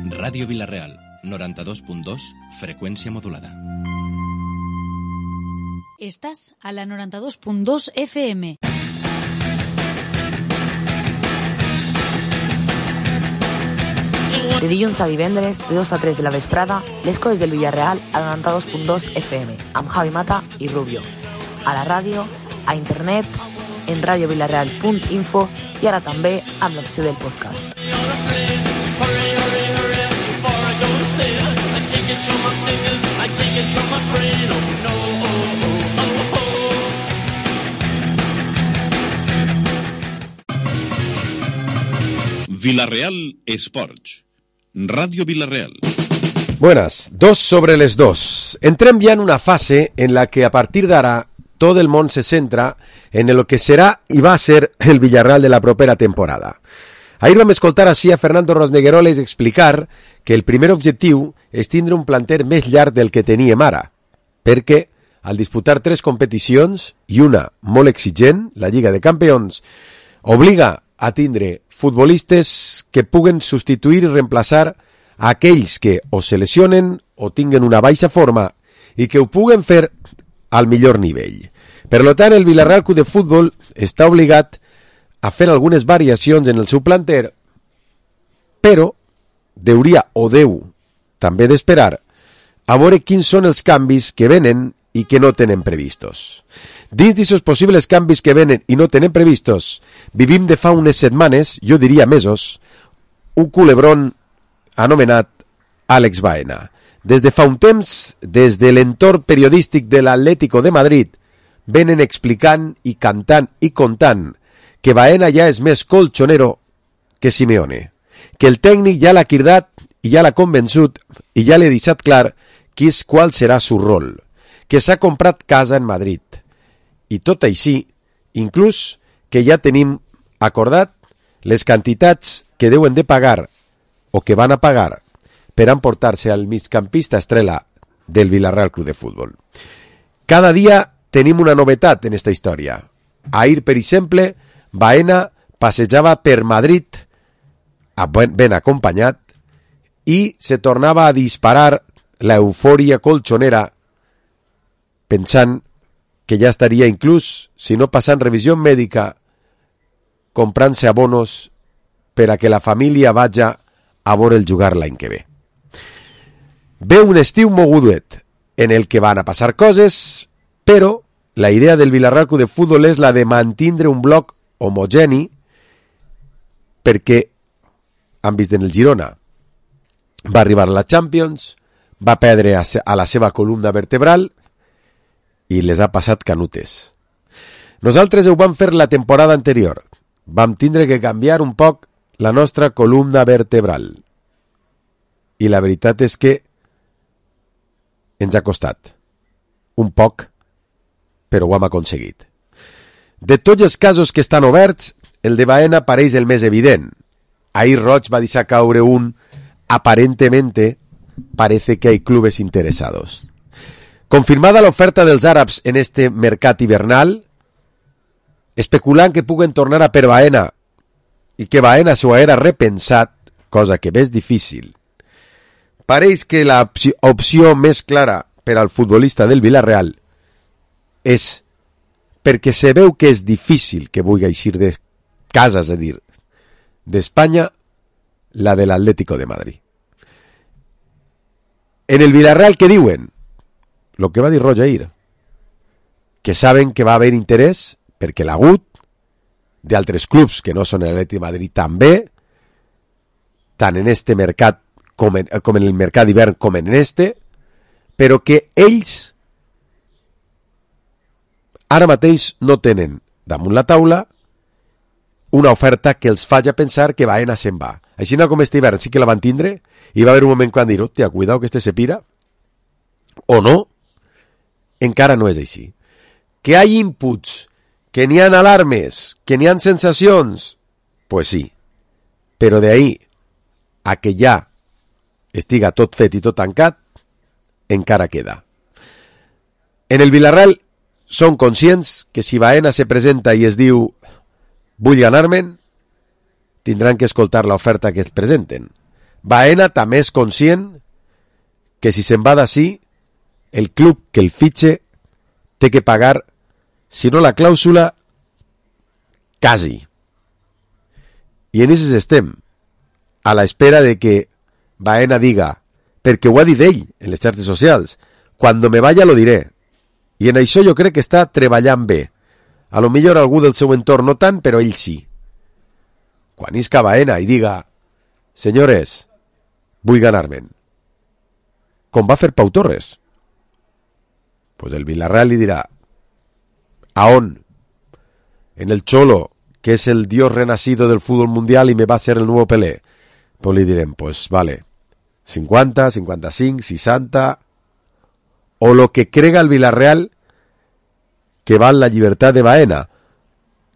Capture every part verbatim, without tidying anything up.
Ràdio Vila-real, noranta-dos punt dos, freqüència modulada. Estàs a la noranta-dos punt dos F M. De dilluns a divendres, de dos a tres de la vesprada, les coses del Villarreal a noranta-dos punt dos F M, amb Javi Mata i Rubio. A la ràdio, a internet, en radiovilareal punt info i ara també amb l'opció del podcast. Vila-real Esports. Radio Vila-real. Buenas, dos sobre les dos. Entrem ya en una fase en la que a partir d'ara todo el món se centra en lo que serà i va ser el Villarreal de la propera temporada. Ahir vam escoltar així a Fernando Rosnegueroles explicar que el primer objectiu és tindre un planter més llarg del que teníem ara, perquè al disputar tres competicions i una molt exigent, la Lliga de Campions, obliga a tindre futbolistes que puguen substituir i reemplaçar a aquells que o se lesionen o tinguen una baixa forma i que ho puguen fer al millor nivell. Per tant, el Villarreal Club de Futbol està obligat a fer algunes variacions en el seu planter, però deuria o deu també d'esperar a veure quins són els canvis que venen i que no tenen previstos. Dins d'aquests possibles canvis que venen i no tenen previstos, vivim de fa unes setmanes, jo diria mesos, un culebrón anomenat Àlex Baena. Des de fa un temps, des de l'entorn periodístic de l'Atlético de Madrid, venen explicant i cantant i contant que Baena ja és més colchonero que Simeone, que el tècnic ja l'ha cridat i ja l'ha convençut i ja l'ha deixat clar qui és qual serà su rol, que s'ha comprat casa en Madrid. I tot així, inclús que ja tenim acordat les quantitats que deuen de pagar o que van a pagar per emportar-se al migcampista estrella del Villarreal Club de Futbol. Cada dia tenim una novetat en esta història. Ahir, per exemple, Baena passejava per Madrid ben acompanyat i se tornava a disparar la eufòria colchonera pensant que ja estaria inclús, si no passant revisió mèdica, comprant-se abonos per a que la família vaja a veure el jugar l'any que ve. Ve un estiu mogudet en el que van a passar coses, però la idea del Villarreal Club de Futbol és la de mantindre un bloc homogeni perquè han vist en el Girona. Va arribar a la Champions, va perdre a la seva columna vertebral i les ha passat canutes. Nosaltres ho vam fer la temporada anterior. Vam tindre que canviar un poc la nostra columna vertebral. I la veritat és que ens ha costat un poc, però ho hem aconseguit. De tots els casos que estan oberts, el de Baena pareix el més evident. Ahir Roig va deixar caure un aparentemente parece que hay clubes interesados. Confirmada l'oferta dels àrabs en este mercat hivernal, especulant que puguen tornar a per Baena i que Baena s'ho haguera repensat, cosa que és difícil. Pareix que l'opció més clara per al futbolista del Villarreal és perquè se veu que és difícil que vulgui eixir de casa, és a dir, d'Espanya, la de l'Atlético de Madrid. En el Villarreal, què diuen? Lo que va dir Roig ahir, que saben que va haver interès perquè l'ha hagut d'altres clubs que no són l'Atlético de Madrid també, tant en este mercat com en, com en el mercat d'hivern com en este, però que ells ara mateix no tenen damunt la taula una oferta que els faci pensar que Baena se'n va. Així no com este hivern sí que la van tindre i va haver un moment quan dir, hòstia, cuidao que este se pira, o no, encara no és així. Que hi ha inputs, que n'hi ha alarmes, que n'hi ha sensacions, pues sí, però d'ahí a que ja estiga tot fet i tot tancat, encara queda. En el Villarreal són conscients que si Baena se presenta i es diu vull ganar-me'n, tindran que escoltar l'oferta que es presenten. Baena també és conscient que si se'n va d'ací, el club que el fitxe té que pagar, si no la clàusula, quasi. I en això estem, a l'espera de que Baena diga, perquè ho ha dit ell en les xarxes socials, cuando me vaya lo diré. I en això jo crec que està treballant bé. A lo millor algú del seu entorn no tant, però ell sí. Quan isca Baena i diga, senyores, vull ganar-me'n. Com va fer Pau Torres? Pues el Villarreal li dirà, ¿a on? En el Cholo, que es el dios renacido del fútbol mundial y me va a ser el nuevo Pelé. Pues li direm, pues vale, cincuenta, cincuenta y cinco, sesenta, o lo que crega el Villarreal que val la llibertat de Baena,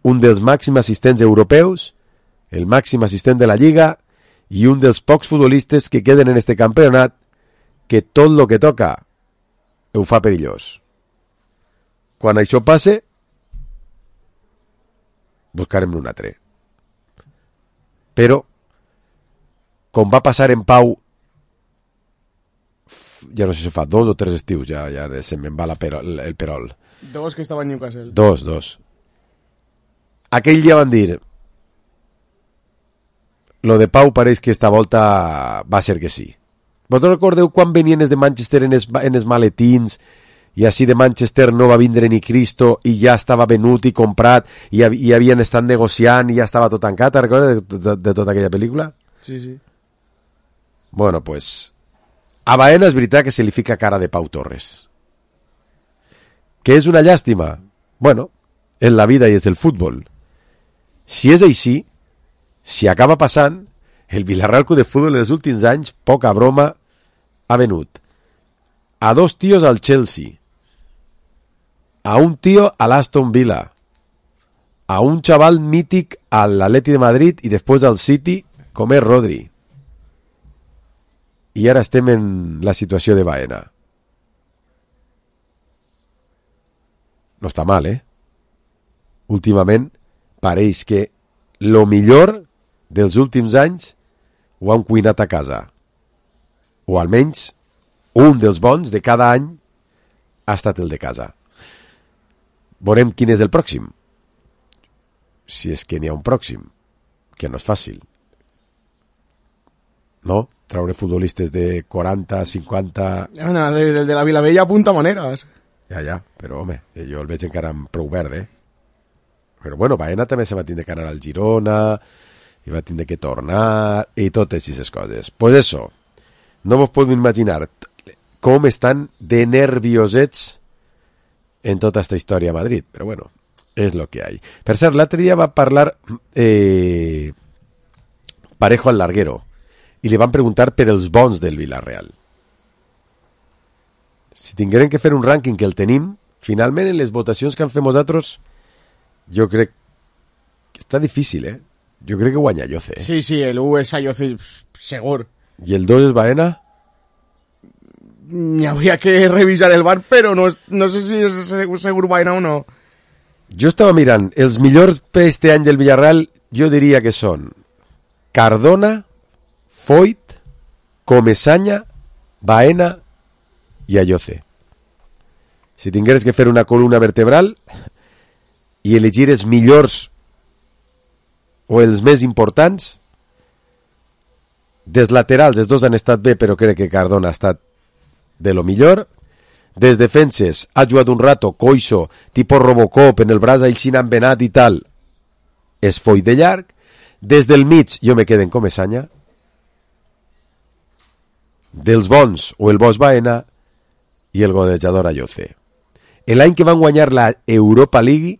un dels màxims assistents europeus, el màxim assistent de la Lliga i un dels pocs futbolistes que queden en este campionat que tot lo que toca ho fa perillós. Quan això passe, buscarem un altre. Però, com va passar en Pau, ja no sé si fa dos o tres estius, ja, ja se me'n va la perol, el perol. Dos que estava en Newcastle. Dos, dos. Aquell dia van dir, lo de Pau pareix que esta volta va ser que sí. Vosaltres recordeu quan venien els de Manchester en els, en els maletins i així de Manchester no va vindre ni Cristo i ja estava venut i comprat i, i havien estat negociant i ja estava tot tancat? Te'n recordes de, de, de tota aquella pel·lícula? Sí, sí. Bueno, pues a Baena és veritat que se li fica cara de Pau Torres. Que és una llàstima? Bueno, en la vida i és el futbol. Si és així, si acaba passant, el Villarreal Club de Fútbol en els últims anys, poca broma, ha venut a dos tios al Chelsea, a un tío al Aston Villa, a un chaval mític al Atleti de Madrid i després al City, com és Rodri. I ara estem en la situació de Baena. No està mal, eh? Últimament pareix que lo millor dels últims anys ho han cuinat a casa. O almenys un dels bons de cada any ha estat el de casa. Veurem quin és el pròxim. Si és que n'hi ha un pròxim. Que no és fàcil. No? Traure futbolistes de quaranta, cinquanta... Ana, el de la Vilavella apunta maneres. Ja, ja, però home, jo el veig encara amb prou verd, eh? Però bueno, Baena també se va tindre que anar al Girona i va tindre que tornar i totes aquestes coses. Pues eso, no vos podeu imaginar com estan de nerviosets en tota esta història a Madrid, però bueno, és lo que hay. Per cert, l'altre dia va parlar eh, Parejo al larguero i li van preguntar per els bons del Villarreal. Si tingueren que fer un rànquing, que el tenim, finalment en les votacions que han fet nosaltres, jo crec que està difícil, eh? Jo crec que guanya Ayoce, eh? Sí, sí, el u és Ayoce, segur. I el dos és Baena? Ni habría que revisar el bar, però no, no sé si és segur Baena o no. Jo estava mirant, els millors per este any del Villarreal, jo diria que són Cardona, Foyt, Comesaña, Baena i Ayoce. Si tingueres que fer una columna vertebral i elegir els millors o els més importants, des laterals els dos han estat bé, però crec que Cardona ha estat de lo millor. Des defenses ha jugat un rato coixo, tipo Robocop, en el braç així han venat i tal, és Foyt de llarg. Des del mig jo me quedo en Comesaña. Dels bons o el bo Baena i el golejador Ayoce. L'any que van guanyar la Europa League,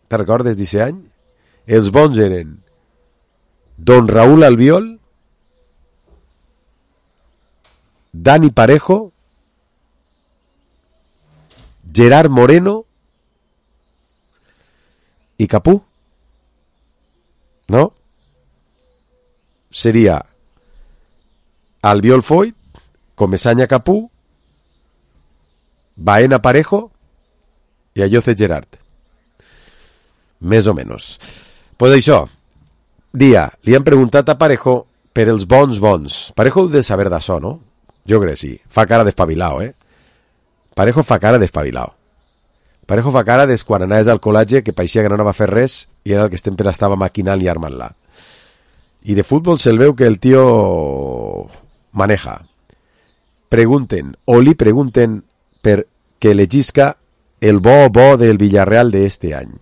te recordes d'aquest any? Els bons eren Don Raúl Albiol, Dani Parejo, Gerard Moreno i Capú. ¿No? Sería Albiol Foyt, Comesaña Capú, Baena Parejo i Ayoce Gerard. Més o menys. Pues això, dia, li han preguntat a Parejo per els bons bons. Parejo de saber d'això, no? Jo crec sí. Fa cara d'espavilao, eh? Parejo fa cara d'espavilao. Parejo fa cara des quan anaves al col·legi que pareixia que no anava a fer res i era el que sempre estava maquinant i armant-la. I de futbol se'l veu que el tio maneja. Pregunten, o li pregunten per que elegisca el bo bo del Villarreal de este any.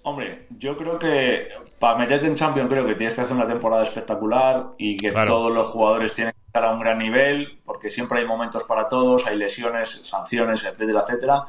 Hombre, yo creo que para meterte en Champions creo que tienes que hacer una temporada espectacular y que claro, todos los jugadores tienen que estar a un gran nivel, porque siempre hay momentos para todos, hay lesiones, sanciones, etcétera, etcétera.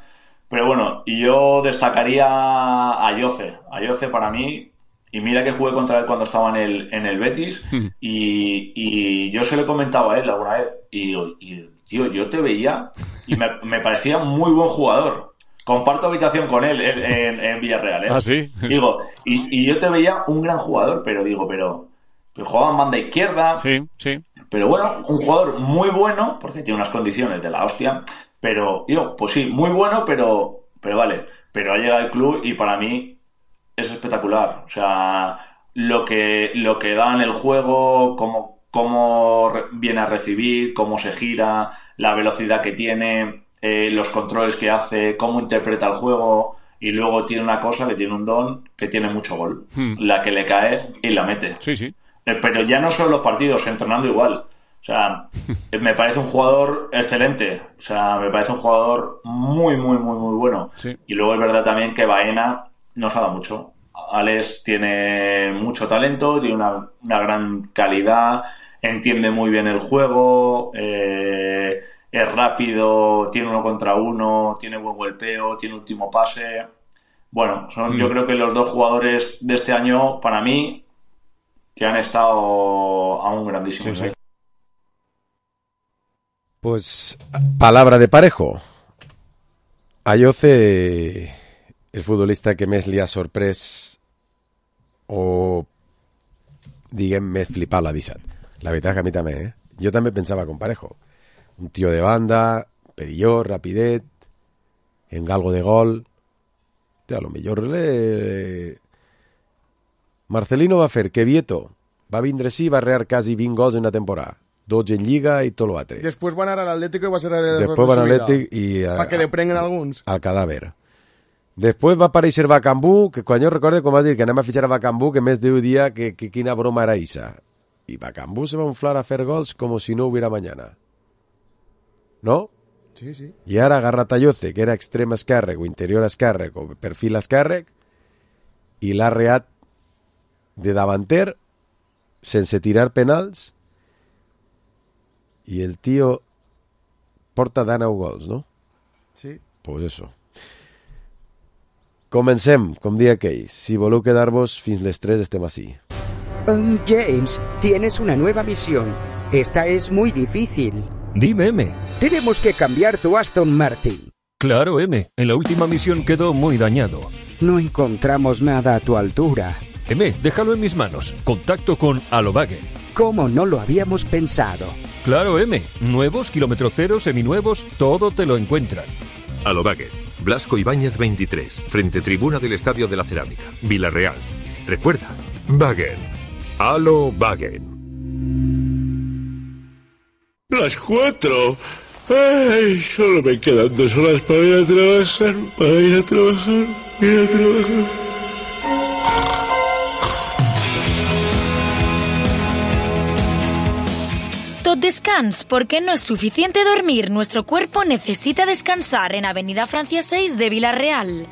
Pero bueno, y yo destacaría a Ayoce. Ayoce para mí, y mira que jugué contra él cuando estaba en el, en el Betis, y, y yo se lo he comentado a él alguna vez, y, y tío, yo te veía y me, me parecía muy buen jugador. Comparto habitación con él en, en, en Villarreal, ¿eh? Ah, sí. Digo, y, y yo te veía un gran jugador, pero digo, pero, pero jugaba en banda izquierda. Sí, sí. Pero bueno, un jugador muy bueno, porque tiene unas condiciones de la hostia, pero, yo, pues sí, muy bueno, pero, pero vale. Pero ha llegado al club y para mí es espectacular. O sea, lo que, lo que da en el juego, cómo, cómo viene a recibir, cómo se gira, la velocidad que tiene... Eh, los controles que hace, cómo interpreta el juego, y luego tiene una cosa que tiene un don que tiene mucho gol, hmm. la que le cae y la mete. Sí, sí. Eh, pero ya no solo los partidos, entrenando igual. O sea, me parece un jugador excelente. O sea, me parece un jugador muy, muy, muy, muy bueno. Sí. Y luego es verdad también que Baena nos ha dado mucho. Alex tiene mucho talento, tiene una, una gran calidad, entiende muy bien el juego, eh... es rápido, tiene uno contra uno, tiene buen golpeo, tiene último pase. Bueno, son mm. yo creo que los dos jugadores de este año, para mí, que han estado a un grandísimo nivel. Sí, sí. Pues, palabra de Parejo. Ayoce, el futbolista que més li ha sorprès o, diguem, més flipat l'ha deixat. La veritat que a mi també, eh? Jo també pensava con Parejo. Un tío de banda, perillós, rapidet, en galgo de gol. A lo millor le... Marcelino va fer que Vieto va vindre sí, va rear quasi vint gols en una temporada. dotze en Lliga i tot l'altre. Després van anar a l'Atlético i va ser el Després van a l'Atlètic i... A, para que le prenguen alguns. Al cadàver. Després va aparèixer Bacambú, que quan jo recordo quan va dir que anem a fitxar a Bacambú, que més Déu dia que, que quina broma era isa. I Bacambú se va inflar a fer gols com si no hubiera mañana. ¿No? Sí, sí. I ara agarra Ayoce, que era extrem esquerrec o interior esquerrec o perfil esquerrec, i l'ha reat de davanter sense tirar penals, i el tio porta dinou gols, no? Sí. Pues eso. Comencem, com dia aquell. Si voleu quedar-vos fins les tres estem així. Um, James, tienes una nueva misión. Esta es muy difícil. Dime, M. Tenemos que cambiar tu Aston Martin. Claro, M. En la última misión quedó muy dañado. No encontramos nada a tu altura. M, déjalo en mis manos. Contacto con Alobagen. ¿Cómo no lo habíamos pensado? Claro, M. Nuevos, kilómetro cero, seminuevos, todo te lo encuentran. Alobagen. Blasco Ibáñez veintitrés, frente tribuna del Estadio de la Cerámica, Villarreal. Recuerda, Wagen. Alobagen. Las cuatro. Ay, solo me quedan dos horas para ir a trabajar, para ir a trabajar, ir a trabajar. Tot descans, porque no es suficiente dormir. Nuestro cuerpo necesita descansar en Avenida Francia seis de Villarreal.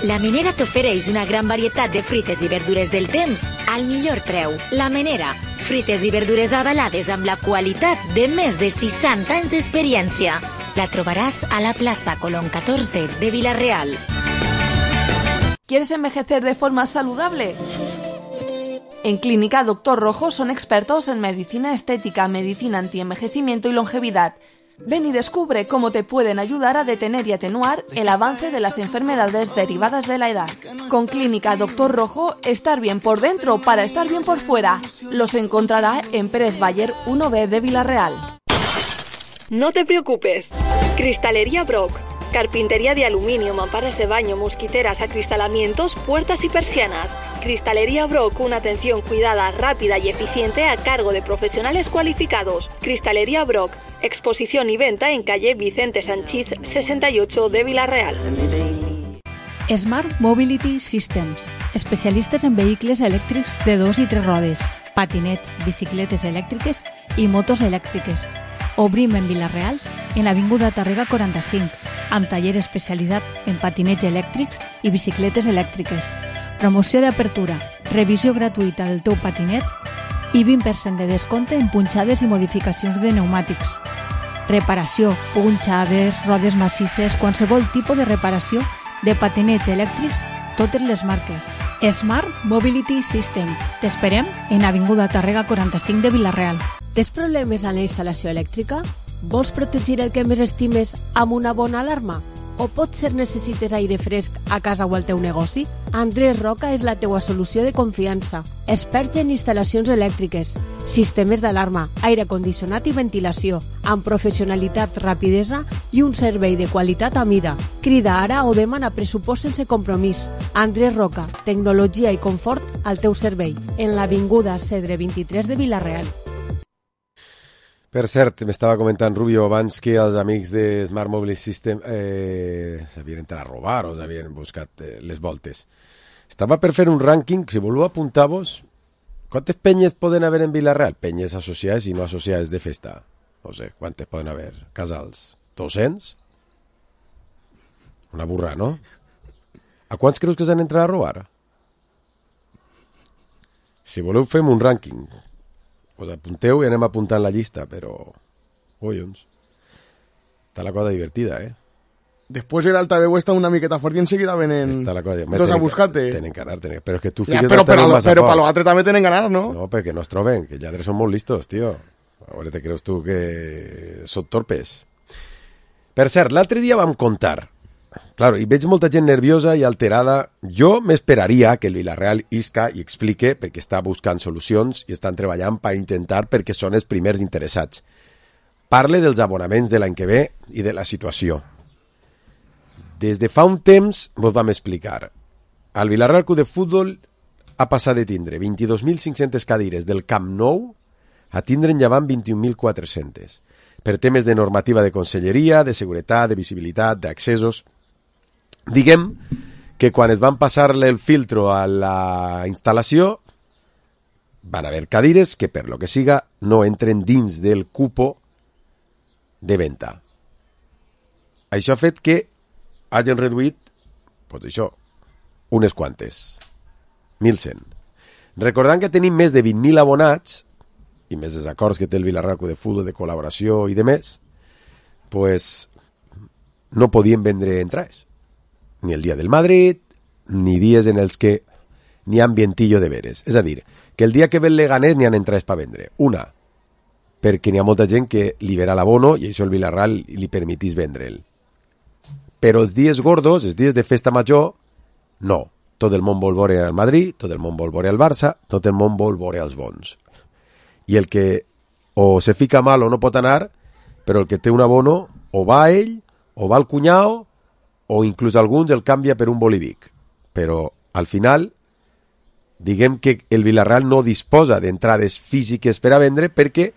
La Menera t'ofereix una gran varietat de fruites i verdures del temps al millor preu. La Menera, fruites i verdures avalades amb la qualitat de més de seixanta anys d'experiència. La trobaràs a la plaça Colón catorze de Villarreal. ¿Quieres envejecer de forma saludable? En Clínica Doctor Rojo son expertos en medicina estética, medicina antienvejecimiento y longevidad. Ven y descubre cómo te pueden ayudar a detener y atenuar el avance de las enfermedades derivadas de la edad. Con Clínica Doctor Rojo, estar bien por dentro para estar bien por fuera. Los encontrará en Pérez Bayer uno B de Villarreal. No te preocupes. Cristalería Brock. Carpintería de aluminio, mamparas de baño, mosquiteras, acristalamientos, puertas y persianas. Cristalería Brock, una atención cuidada, rápida y eficiente a cargo de profesionales cualificados. Cristalería Brock, exposición y venta en calle Vicente Sanchís sesenta y ocho de Vila-real. Smart Mobility Systems, especialistes en vehicles elèctrics de dos i tres rodes, patinets, bicicletes elèctriques i motos elèctriques. Obrim en Vila-real, en Avinguda Tàrrega quaranta-cinc, amb taller especialitzat en patinets elèctrics i bicicletes elèctriques. Promoció d'apertura, revisió gratuïta del teu patinet i vint per cent de descompte en punxades i modificacions de pneumàtics. Reparació, punxades, rodes massisses, qualsevol tipus de reparació de patinets elèctrics, totes les marques. Smart Mobility System. T'esperem en Avinguda Tàrrega quaranta-cinc de Vila-real. Tens problemes a la instal·lació elèctrica? Vols protegir el que més estimes amb una bona alarma? O potser necessites aire fresc a casa o al teu negoci? Andrés Roca és la teua solució de confiança. Expert en instal·lacions elèctriques, sistemes d'alarma, aire condicionat i ventilació, amb professionalitat, rapidesa i un servei de qualitat a mida. Crida ara o demana pressupost sense compromís. Andrés Roca, tecnologia i confort al teu servei, en l'Avinguda Cedre vint-i-tres de Vila-real. Per cert, m'estava comentant Rubio abans que els amics de Smart Mobile System eh, s'havien entrat a robar o s'havien buscat eh, les voltes. Estava per fer un rànquing, si voleu apuntar-vos, quantes penyes poden haver en Vila-real? Penyes associades i no associades de festa. No sé, quantes poden haver? Casals? dos-cents? Una burra, no? A quants creus que s'han entrat a robar? Si voleu fem un rànquing. Pues apunteu i anem apuntant la llista, però... Collons. Està la cosa divertida, eh? Después el altaveu està una miqueta fort i enseguida venen dos a buscar-te. Tenen que anar, tenen... Però és que tu ja, però, però, però per l'altre també tenen que anar, no? No, perquè no es troben, que els lladres són molt listos, tio. Ara te creus tu que són torpes. Per cert, l'altre dia vam contar. Claro, i veig molta gent nerviosa i alterada. Jo m'esperaria que el Vila-real isca i explique perquè està buscant solucions i estan treballant per intentar perquè són els primers interessats. Parle dels abonaments de l'any que ve i de la situació. Des de fa un temps vos vam explicar. El Vila-real Club de Futbol ha passat de tindre vint-i-dos mil cinc-centes cadires del Camp Nou a tindre en llevant vint-i-un mil quatre-centes. Per temes de normativa de conselleria, de seguretat, de visibilitat, d'accessos... Diguem que quan es van passar-le el filtro a la instal·lació van haver cadires que per lo que siga no entren dins del cupo de venda. Això ha fet que hagin reduït pues això, unes quantes, mil cent. Recordant que tenim més de vint mil abonats i més els acords que té el Vila-real Club de Futbol de col·laboració i de més, pues no podien vendre entrades. Ni el dia del Madrid, ni dies en els que n'hi ha ambientillo de veres. És a dir, que el dia que ve el Leganés n'hi ha entrades per vendre. Una, perquè n'hi ha molta gent que libera l'abono i això el Vila-real li permetís vendre'l. Però els dies gordos, els dies de festa major, no. Tot el món vol veure el Madrid, tot el món vol veure el Barça, tot el món vol veure els bons. I el que o se fica mal o no pot anar, però el que té un abono o va a ell, o va al cunyao, o inclús alguns el canvia per un bolivic. Però, al final, diguem que el Vila-real no disposa d'entrades físiques per a vendre perquè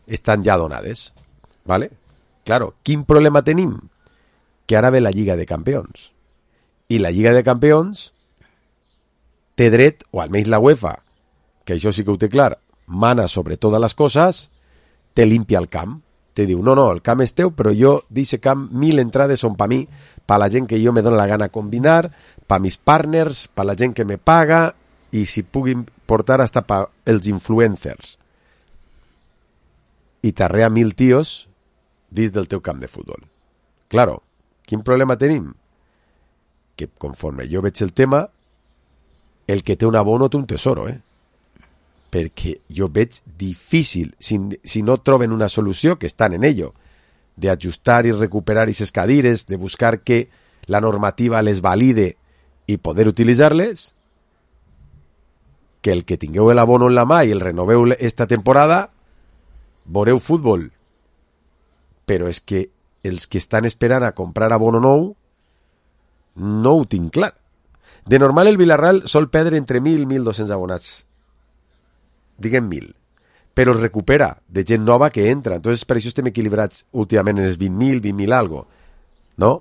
estan ja donades. ¿Vale? Claro, quin problema tenim? Que ara ve la Lliga de Campions. I la Lliga de Campions té dret, o almenys la UEFA, que això sí que ho té clar, mana sobre totes les coses, te limpia el camp. Te diu, no, no, el camp és teu, però jo d'aquest camp mil entrades són per mi, per la gent que jo me dóna la gana combinar, per mis partners, per la gent que me paga, i si puguin portar hasta per els influencers. I t'arrea mil tios dins del teu camp de futbol. Claro, quin problema tenim? Que conforme jo veig el tema, el que té un abono té un tesoro, eh? Perquè jo veig difícil, si, si no troben una solució, que estan en ello, de ajustar i recuperar aquestes cadires, de buscar que la normativa les valide i poder utilitzar-les, que el que tingueu l'abono en la mà i el renoveu esta temporada, veureu futbol. Però és que els que estan esperant a comprar abono nou no ho tinc clar. De normal el Villarreal sol perdre entre mil i mil dos-cents abonats. Diguem mil. Però es recupera de gent nova que entra. Entonces per això estem equilibrats últimament en els vint mil, vint mil algo. No?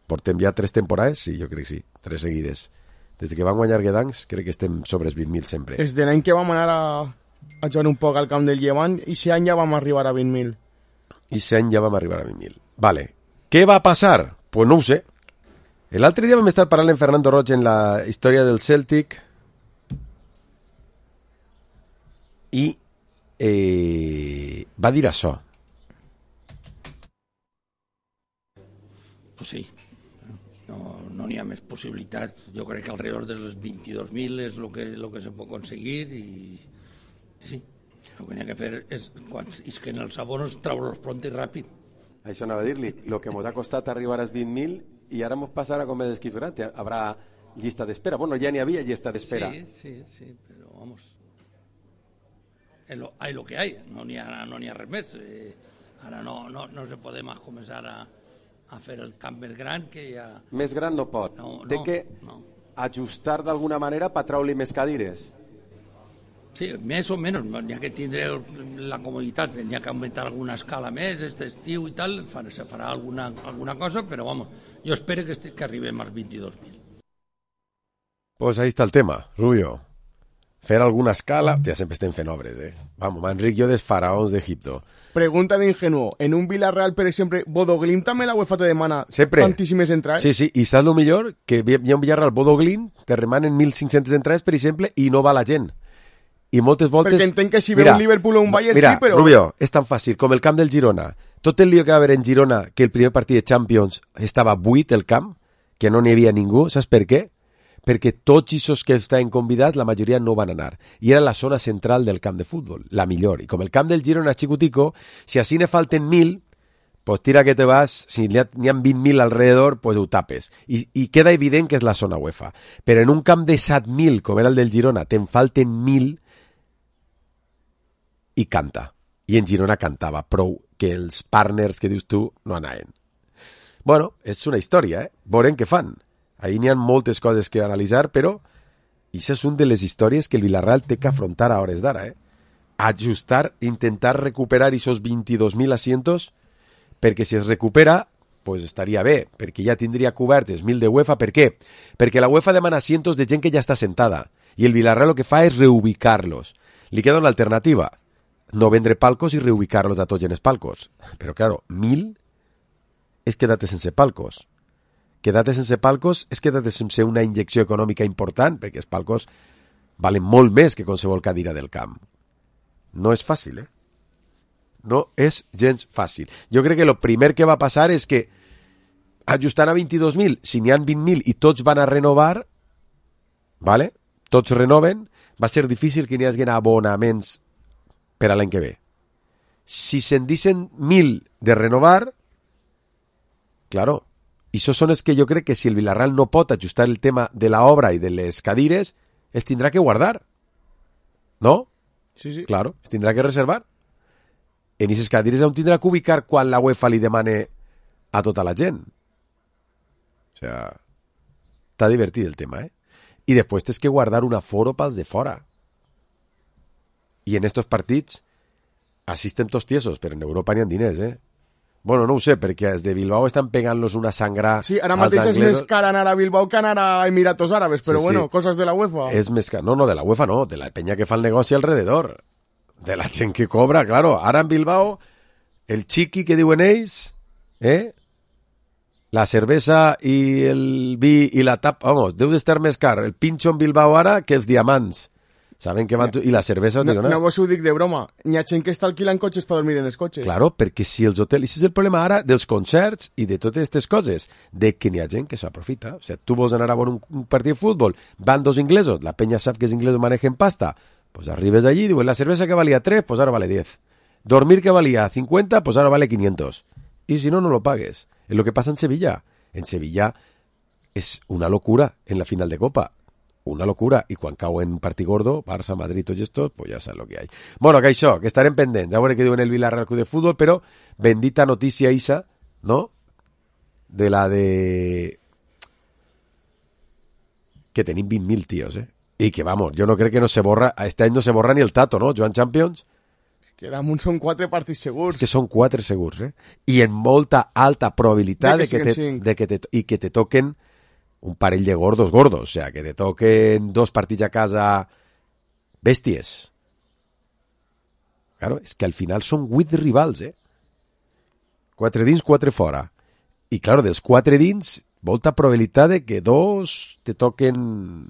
Portem ja tres temporades? Sí, jo crec que sí. Tres seguides. Des que van guanyar Guedancs, crec que estem sobre els vint mil sempre. Des de l'any que vam anar a, a jugar un poc al camp del Llevant, i aquest any ja vam arribar a vint mil. I aquest any ja vam arribar a vint mil. Vale. Què va passar? Pues no ho sé. L'altre dia vam estar parlant amb Fernando Roig en la història del Celtic i eh, va dir això. Pues sí. No, no n'hi ha més possibilitats. Jo crec que alrededor dels vint-i-dos mil és el que, lo que se pot aconseguir i, i sí, el que n'hi ha que fer és, quan, és que en els abonos treure-los pront i ràpid. Això anava a dir-li, el que ens ha costat arribar als vint mil i ara ens passarà com és esquifrant, haurà llista d'espera. Bueno, ja n'hi havia llista d'espera. Sí, sí, sí, però vamos, lo, hay lo que hay, no n'hi ha, no n'hi ha res més. Eh, ara no, no, no se podem començar a a fer el camp més gran que ja... Més gran no pot. No, Té no, que no. ajustar d'alguna manera per treure-li més cadires. Sí, més o menys. N'hi ha que tindre la comoditat, n'hi ha que augmentar alguna escala més, este estiu i tal, se farà alguna, alguna cosa, però vamos, jo espero que, esti, que arribem als vint-i-dos mil. Pues ahí está el tema, Rubio. Fer alguna escala... Ja sempre estem fent obres, eh? Vamos, m'enric jo dels faraons d'Egipto. Pregunta d'ingenuo. En un Villarreal, per exemple, Bodoglint també la UEFA te demana sempre tantíssimes entrades? Sí, sí, i saps el millor? Que hi ha un Villarreal Bodoglint, te remanen mil cinc-centes entrades, per exemple, i no va la gent. I moltes voltes... Perquè entenc que si ve un Liverpool o un Bayern mira, sí, però... Rubio, és tan fàcil com el camp del Girona. Tot el lío que va haver en Girona, que el primer partit de Champions estava buit el camp, que no n'hi havia ningú, saps per què? Perquè tots aquests que estaven convidats, la majoria no van anar. I era la zona central del camp de futbol, la millor. I com el camp del Girona és xicutico, si així ne falten mil, pues tira que te vas, si n'hi ha, ha vint mil alrededor, pues ho tapes. I, I queda evident que és la zona UEFA. Però en un camp de set mil, com era el del Girona, te'n falten mil i canta. I en Girona cantava prou que els partners que dius tu no anaven. Bueno, és una història, eh? Veurem què fan. Ahí n'hi ha moltes coses que analitzar, però això és una de les històries que el Villarreal té que afrontar a hores d'ara, eh? Ajustar, intentar recuperar aquests vint-i-dos mil asientos, perquè si es recupera, pues estaria bé, perquè ja tindria coberts els mil de UEFA. Per què? Perquè la UEFA demana asientos de gent que ja està sentada, i el Villarreal el que fa és reubicar-los. Li queda una alternativa, no vendre palcos i reubicar-los a tots en els palcos. Però, claro, mil és quedar-te sense palcos. Quedar-te sense palcos és quedar-te sense una injecció econòmica important, perquè els palcos valen molt més que qualsevol cadira del camp. No és fàcil, eh? No és gens fàcil. Jo crec que el primer que va passar és que ajustant a vint-i-dos mil, si n'hi ha vint mil i tots van a renovar, ¿vale? Tots renoven, va ser difícil que n'hi hagi abonaments per a l'any que ve. Si se'n dicen mil de renovar, claro, i això són els que jo crec que si el Villarreal no pot ajustar el tema de la obra i de les cadires, es tindrà que guardar. ¿No? Sí, sí. Claro, es tindrà que reservar. En aquestes cadires on tindrà que ubicar quan la UEFA li demane a tota la gent. O sea, està divertit el tema, eh? I després tens que guardar un aforo pels de fora. I en estos partits assisten tots tiesos, però en Europa n'hi ha diners, eh? Bueno, no ho sé, perquè els de Bilbao estan pegant-los una sangra... Sí, ara mateix és més car anar a Bilbao que anar a Emiratos Árabes, però sí, bueno, sí. Coses de la UEFA. És més car... No, no, de la UEFA no, de la penya que fa el negoci alrededor. De la gent que cobra, claro. Ara en Bilbao, el chiqui que diuen ells, eh? La cervesa i el vi i la tapa... Vamos, deu d'estar més car el pinxo en Bilbao ara que els diamants. Saben que van... Tu... I la cervesa... No, digo, no, no vos ho dic de broma. N'hi ha gent que està alquilant cotxes per dormir en els cotxes. Claro, perquè si els hotels... I és el problema ara dels concerts i de totes aquestes coses, de que n'hi ha gent que s'aprofita. O sigui, tu vols anar a veure un, un partit de futbol, van dos inglesos, la penya sap que els inglesos manejen pasta, pues arribes allí i diuen, la cervesa que valia tres, pues ara vale diez. Dormir que valía cincuenta, pues ahora vale quinientos. Y si no, no lo pagues. Es lo que pasa en Sevilla. En Sevilla es una locura en la final de Copa. Una locura, i quan cau en partit gordo, Barça, Madrid, tots estos, pues ja saps lo que hay. Bueno, que això, que estarem pendents, a veure què diuen el Villarreal Club de Futbol, però bendita notícia, Isa, ¿no? De la de... Que tenim vint mil tios, eh? I que, vamos, jo no crec que no se borra... Este any no se borra ni el Tato, no? Joan Champions. Que damunt són quatre partits segurs. És que són quatre segurs, eh? I en molta alta probabilitat de que, de que, te, de que te, i que te toquen un parell de gordos gordos, o sea, que te toquen dos partits a casa bèsties. Claro, és que al final són vuit rivals, eh? Quatre dins, quatre fora. I, claro, dels quatre dins, molta probabilitat de que dos te toquen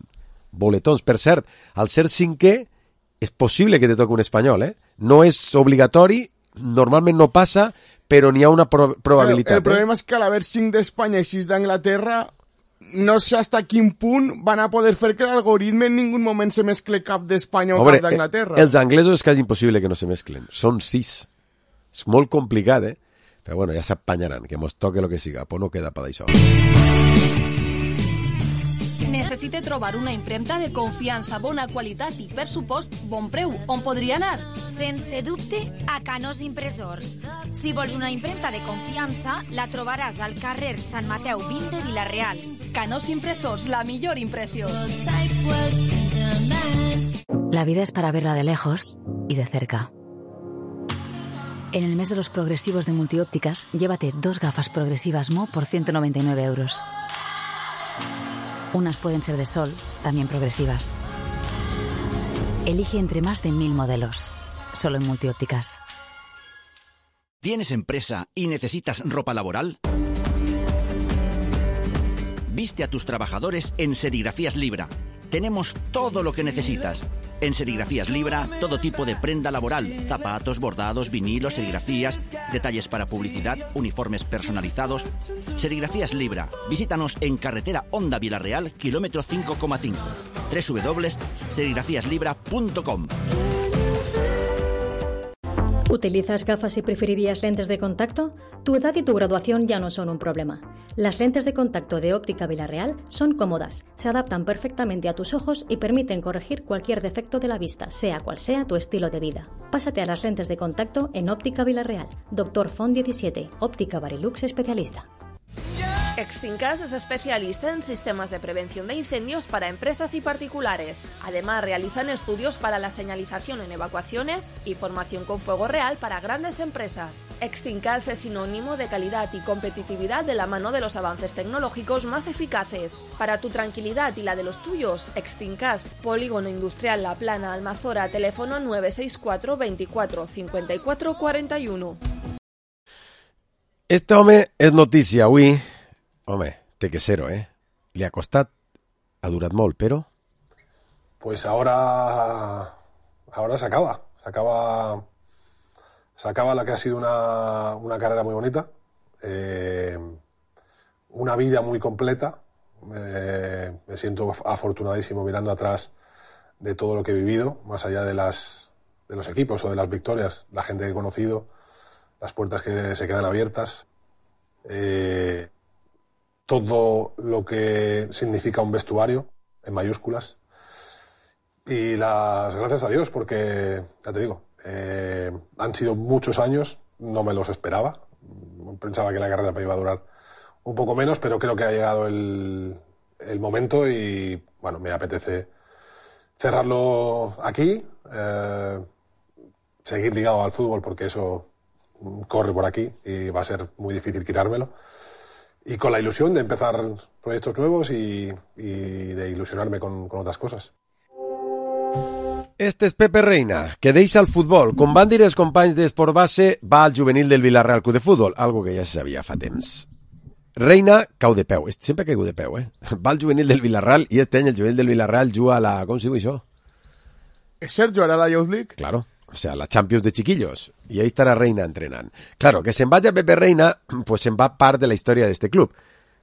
boletons. Per cert, al ser cinquè, és possible que te toqui un espanyol, eh? No és obligatori, normalment no passa, però n'hi ha una pro probabilitat. El, el problema eh? és que a l'haver cinc d'Espanya i sis d'Anglaterra, no sé hasta quin punt van a poder fer que l'algoritme en ningú moment se mescle cap d'Espanya o Hombre, cap d'Anglaterra. Els anglesos és quasi impossible que no se mesclen. Són sis. És molt complicat, eh? Però bueno, ja s'apanyaran, que mos toque lo que siga. Pues no queda per d'això. Necessite trobar una impremta de confiança, bona qualitat i, per supost, bon preu. On podria anar? Sense dubte, a Canós Impressors. Si vols una impremta de confiança, la trobaràs al carrer Sant Mateu vint de Vila-real. Canós Impressors, la millor impressió. La vida es para verla de lejos y de cerca. En el mes de los progresivos de Multiópticas, llévate dos gafas progresivas Mo por ciento noventa y nueve euros. Unas pueden ser de sol, también progresivas. Elige entre más de mil modelos, solo en Multiópticas. ¿Tienes empresa y necesitas ropa laboral? Viste a tus trabajadores en Serigrafías Libra. Tenemos todo lo que necesitas. En Serigrafías Libra, todo tipo de prenda laboral, zapatos, bordados, vinilos, serigrafías, detalles para publicidad, uniformes personalizados. Serigrafías Libra. Visítanos en carretera Honda Vila-real, kilómetro cinco coma cinco. doble u doble u doble u punto serigrafías libra punto com. ¿Utilizas gafas y preferirías lentes de contacto? Tu edad y tu graduación ya no son un problema. Las lentes de contacto de Óptica Vila-real son cómodas, se adaptan perfectamente a tus ojos y permiten corregir cualquier defecto de la vista, sea cual sea tu estilo de vida. Pásate a las lentes de contacto en Óptica Vila-real. Doctor Font diecisiete, Óptica Barilux especialista. Extincas es especialista en sistemas de prevención de incendios para empresas y particulares. Además, realizan estudios para la señalización en evacuaciones y formación con fuego real para grandes empresas. Extincas es sinónimo de calidad y competitividad de la mano de los avances tecnológicos más eficaces. Para tu tranquilidad y la de los tuyos, Extincas, Polígono Industrial La Plana, Almazora, teléfono nueve seis cuatro veinticuatro cincuenta y cuatro cuarenta y uno. Este home és notícia avui. Home, té que ser-ho, eh? Li ha costat, ha durat molt, però... Pues ahora, ahora se acaba, se acaba, se acaba la que ha sido una, una carrera muy bonita, eh, una vida muy completa, eh, me siento afortunadísimo mirando atrás de todo lo que he vivido, más allá de las, de los equipos o de las victorias, la gente que he conocido, las puertas que se quedan abiertas, eh, todo lo que significa un vestuario, en mayúsculas, y las gracias a Dios, porque, ya te digo, eh, han sido muchos años, no me los esperaba, pensaba que la carrera me iba a durar un poco menos, pero creo que ha llegado el, el momento y, bueno, me apetece cerrarlo aquí, eh, seguir ligado al fútbol porque eso corre por aquí y va a ser muy difícil quitármelo. Y con la ilusión de empezar proyectos nuevos y, y de ilusionarme con, con otras cosas. Este és Pepe Reina, que deixa el futbol. Com van dir els companys d'Esport Base, va al juvenil del Villarreal Club de Futbol, algo que ja se sabia fa temps. Reina cau de peu, sempre caigut de peu, eh? Va al juvenil del Villarreal i este any el juvenil del Villarreal juga a la... Com se diu això? És Sergio, ara la Youth League? Claro, o sea, la Champions de chiquillos. I ahí estarà Reina entrenant. Claro, que se'n vagi a Pepe Reina, pues se'n va part de la història d'este club,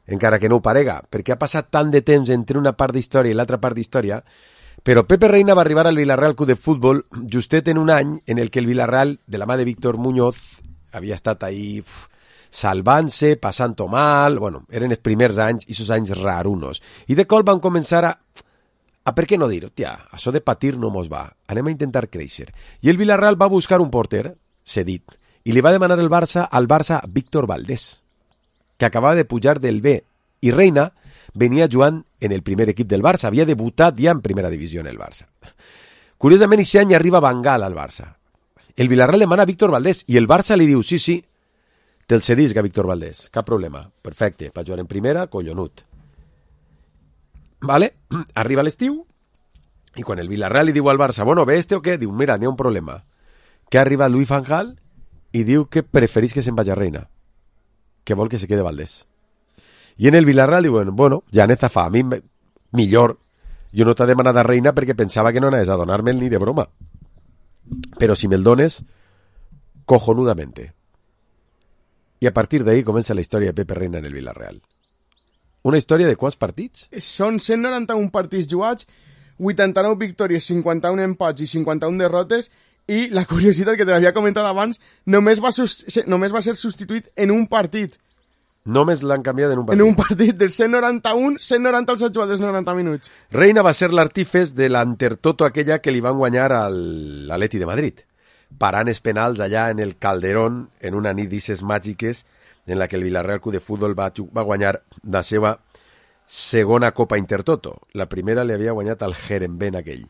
encara que no ho parega, perquè ha passat tant de temps entre una part d'història i l'altra part d'història. Però Pepe Reina va arribar al Villarreal Club de Futbol justet en un any en el que el Villarreal, de la mà de Víctor Muñoz, havia estat ahí uf, salvant-se, passant-ho mal, bueno, eren els primers anys, i esos anys rarunos. I de cop van començar a... a per què no dir, tia, això de patir no mos va, anem a intentar créixer. I el Villarreal va buscar un porter, cedit, i li va demanar el Barça al Barça Víctor Valdés. que acabava de pujar del B, i Reina venia jugant en el primer equip del Barça, havia debutat ja en primera divisió en el Barça. Curiosament, aquest any arriba Bangal al Barça. El Villarreal demana a Víctor Valdés i el Barça li diu, sí, sí, te'l cedisc a Víctor Valdés, cap problema, perfecte, per jugar en primera, collonut. Vale? Arriba l'estiu i quan el Villarreal li diu al Barça, bueno, ve este o què? Diu, mira, n'hi ha un problema. Que arriba Louis van Gaal i diu que preferís que se'n vagi a Reina, que vol que se quede Valdés. I en el Villarreal diuen, bueno, ja n'he fa, a mi millor, jo no t'ha demanat a Reina perquè pensava que no anaves a donar-me'l ni de broma. Però si me'l dones, cojonudamente. I a partir d'ahí comença la història de Pepe Reina en el Villarreal. Una història de quants partits? Són cent noranta-un partits jugats, vuitanta-nou victòries, cinquanta-un empats i cinquanta-un derrotes, i la curiositat que te l'havia comentat abans, només va, només va ser substituït en un partit. Només l'han canviat en un partit. En un partit del cent noranta-un, cent noranta els ha jugat dels noranta minuts. Reina va ser l'artífex de l'Antertoto aquella que li van guanyar al Atleti de Madrid, parant els penals allà en el Calderón, en una nit d'isses màgiques en la que el Villarreal Club de Futbol va, va guanyar la seva segona Copa Intertoto. La primera li havia guanyat al Herenveen aquell.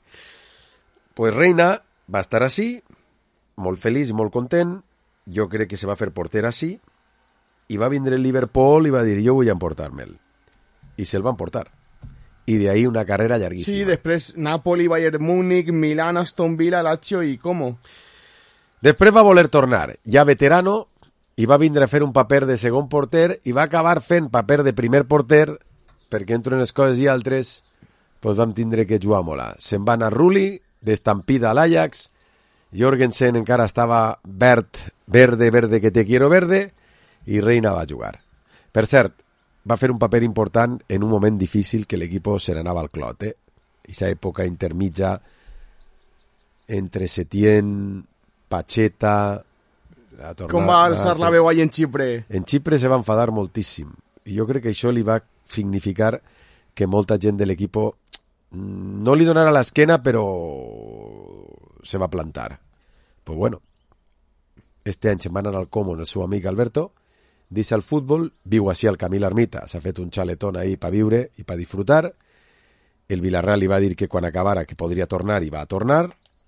Pues Reina va estar així, molt feliç i molt content, jo crec que se va fer porter així, i va vindre el Liverpool i va dir, jo vull emportar-me'l. I se'l van portar. I de ahí una carrera llarguíssima. Sí, després Napoli, Bayern Múnich, Milán, Aston Villa, Lazio i com? Després va voler tornar, ja veterano, i va vindre a fer un paper de segon porter i va acabar fent paper de primer porter perquè entre unes coses i altres pues vam tindre que jugar molt. Se'n va anar Rulli, d'estampida a l'Ajax, Jorgensen encara estava verd, verde, verde, que te quiero verde, i Reina va jugar. Per cert, va fer un paper important en un moment difícil que l'equip se n'anava al clot, eh? Aquesta època intermitja entre Setién, Pacheta... Tornada, com va alçar la veu ahí en Xipre? En Xipre se va enfadar moltíssim. I jo crec que això li va significar que molta gent de l'equip no li donara l'esquena, però se va plantar. Pues bueno, este any se'n va anar al Como el seu amic Alberto, deixa el futbol, viu així al Camí l'Ermita, s'ha fet un xaletón ahí per viure i per disfrutar. El Villarreal li va dir que quan acabara que podria tornar i va a tornar,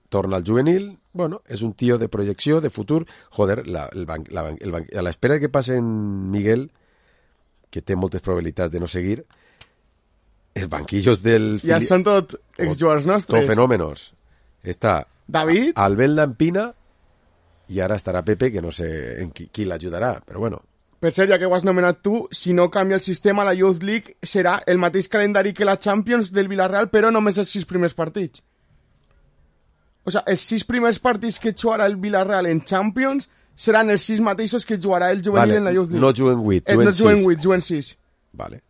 torna al juvenil, bueno, és un tio de projecció, de futur, joder, la, el ban, la, el ban, a l'espera que passe en Miguel, que té moltes probabilitats de no seguir, els banquillos del... Ja són tot exjugadors nostres. Tot fenòmenos. Està David, Albert Lampina i ara estarà Pepe, que no sé en qui, qui l'ajudarà, però bueno. Per cert, ja que ho has nomenat tu, si no canvia el sistema, la Youth League serà el mateix calendari que la Champions del Villarreal, però només els sis primers partits. O sigui, els sis primers partits que jugarà el Villarreal en Champions seran els sis mateixos que jugarà el juvenil vale, en la Youth League. No juguen vuit, eh, juguen no sis. No juguen vuit, juguen sis. Vale.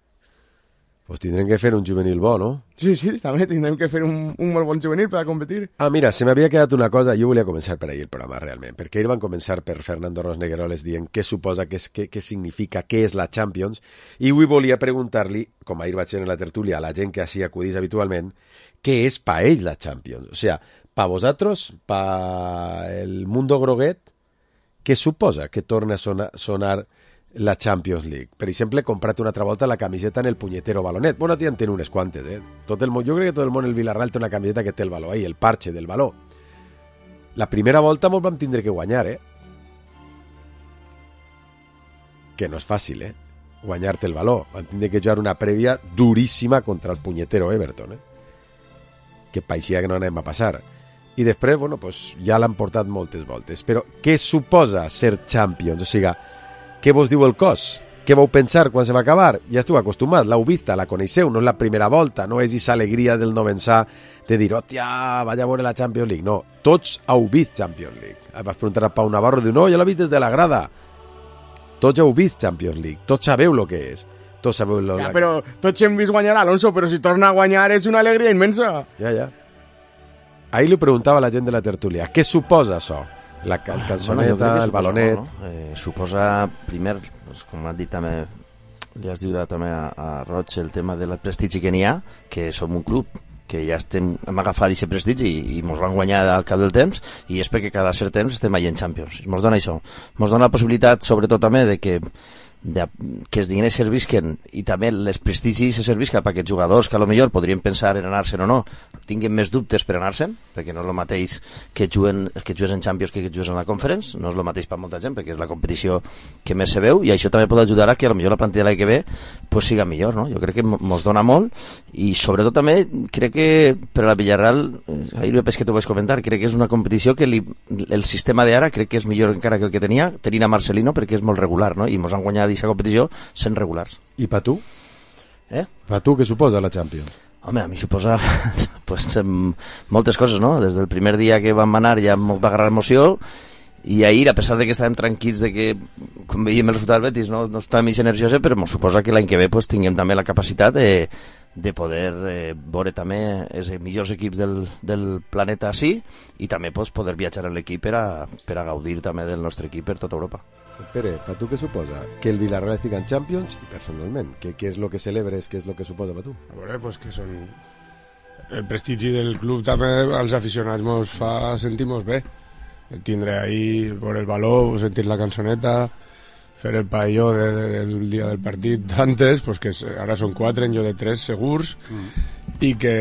Pues tindrem que fer un juvenil bo, no? Sí, sí, també tindrem que fer un, un molt bon juvenil per a competir. Ah, mira, se m'havia quedat una cosa, jo volia començar per ahir el programa, realment, perquè ahir van començar per Fernando Rosnegueroles dient què suposa, què, què, què significa, què és la Champions, i avui volia preguntar-li, com ahir vaig fer en la tertúlia, a la gent que així acudís habitualment, què és pa ells la Champions? O sea, pa vosaltres, pa el mundo groguet, què suposa que torna a sonar, sonar la Champions League? Per exemple, he comprat una altra volta la camiseta en el punyetero balonet. Bueno, ja en tenen unes quantes, eh? Tot el món, jo crec que tot el món el Villarreal té una camiseta que té el baló ahí, el parche del baló. La primera volta molt vam tindre que guanyar, eh? Que no és fàcil, eh? Guanyar-te el baló. Vam tindre que jugar una prèvia duríssima contra el punyetero Everton, eh? Que paeixia que no anem a passar. I després, bueno, pues ja l'han portat moltes voltes. Però què suposa ser Champions? O sigui, què vos diu el cos? Què vau pensar quan se va acabar? Ja esteu acostumats, l'heu vista, la coneixeu, no és la primera volta, no és aquesta alegria del novensà de dir, hòstia, vaig a veure la Champions League. No, tots heu vist Champions League. Vas preguntar a Pau Navarro, diu, no, jo l'he vist des de la grada. Tots heu vist Champions League, tots sabeu el que és. Tots sabeu lo... Ja, però tots hem vist guanyar Alonso, però si torna a guanyar és una alegria immensa. Ja, ja. Ahir li preguntava a la gent de la tertúlia, què suposa això? La cal cançoneta, bueno, el balonet... No? Eh, suposa, primer, pues, com has dit també, li has dit també a, a Roig, el tema del prestigi que n'hi ha, que som un club que ja estem, hem agafat aquest prestigi i, i mos van guanyar al cap del temps, i és perquè cada cert temps estem allà en Champions. Mos dona això. Mos dona la possibilitat, sobretot també, de que de, que els diners servisquen i també les prestigis se servisquen per aquests jugadors que a lo millor podrien pensar en anar-se'n o no, tinguin més dubtes per anar-se'n, perquè no és el mateix que juguen, que jugues en Champions que que jugues en la Conference, no és el mateix per molta gent, perquè és la competició que més se veu, i això també pot ajudar a que a lo millor la plantilla de l'any que ve pues, siga millor, no? Jo crec que mos dona molt, i sobretot també crec que per a la Villarreal, ahir me pes que t'ho vaig comentar, crec que és una competició que li, el sistema d'ara crec que és millor encara que el que tenia, tenint a Marcelino, perquè és molt regular, no? I mos han guanyat aquesta competició sent regulars. I per tu? Eh? Per tu què suposa la Champions? Home, a mi suposa pues, moltes coses, no? Des del primer dia que vam anar ja m'ho va agarrar emoció, i ahir, a pesar de que estàvem tranquils de que, com veiem el resultat del Betis, no, no estàvem més nerviosos, però m'ho suposa que l'any que ve pues, tinguem també la capacitat de, de poder eh, veure també els millors equips del, del planeta així, i també pues, poder viatjar en l'equip per, a, per a gaudir també del nostre equip per tota Europa. Pere, per tu què suposa? Que el Villarreal estigui en Champions i personalment, què, què és el que celebres, què és el que suposa per tu? A veure, pues que són... El prestigi del club també als aficionats mos fa sentir-nos bé. El tindre ahí, veure el valor, sentir la cançoneta, fer el paelló de, de, del dia del partit antes, pues que ara són quatre, en jo de tres segurs, mm. i que,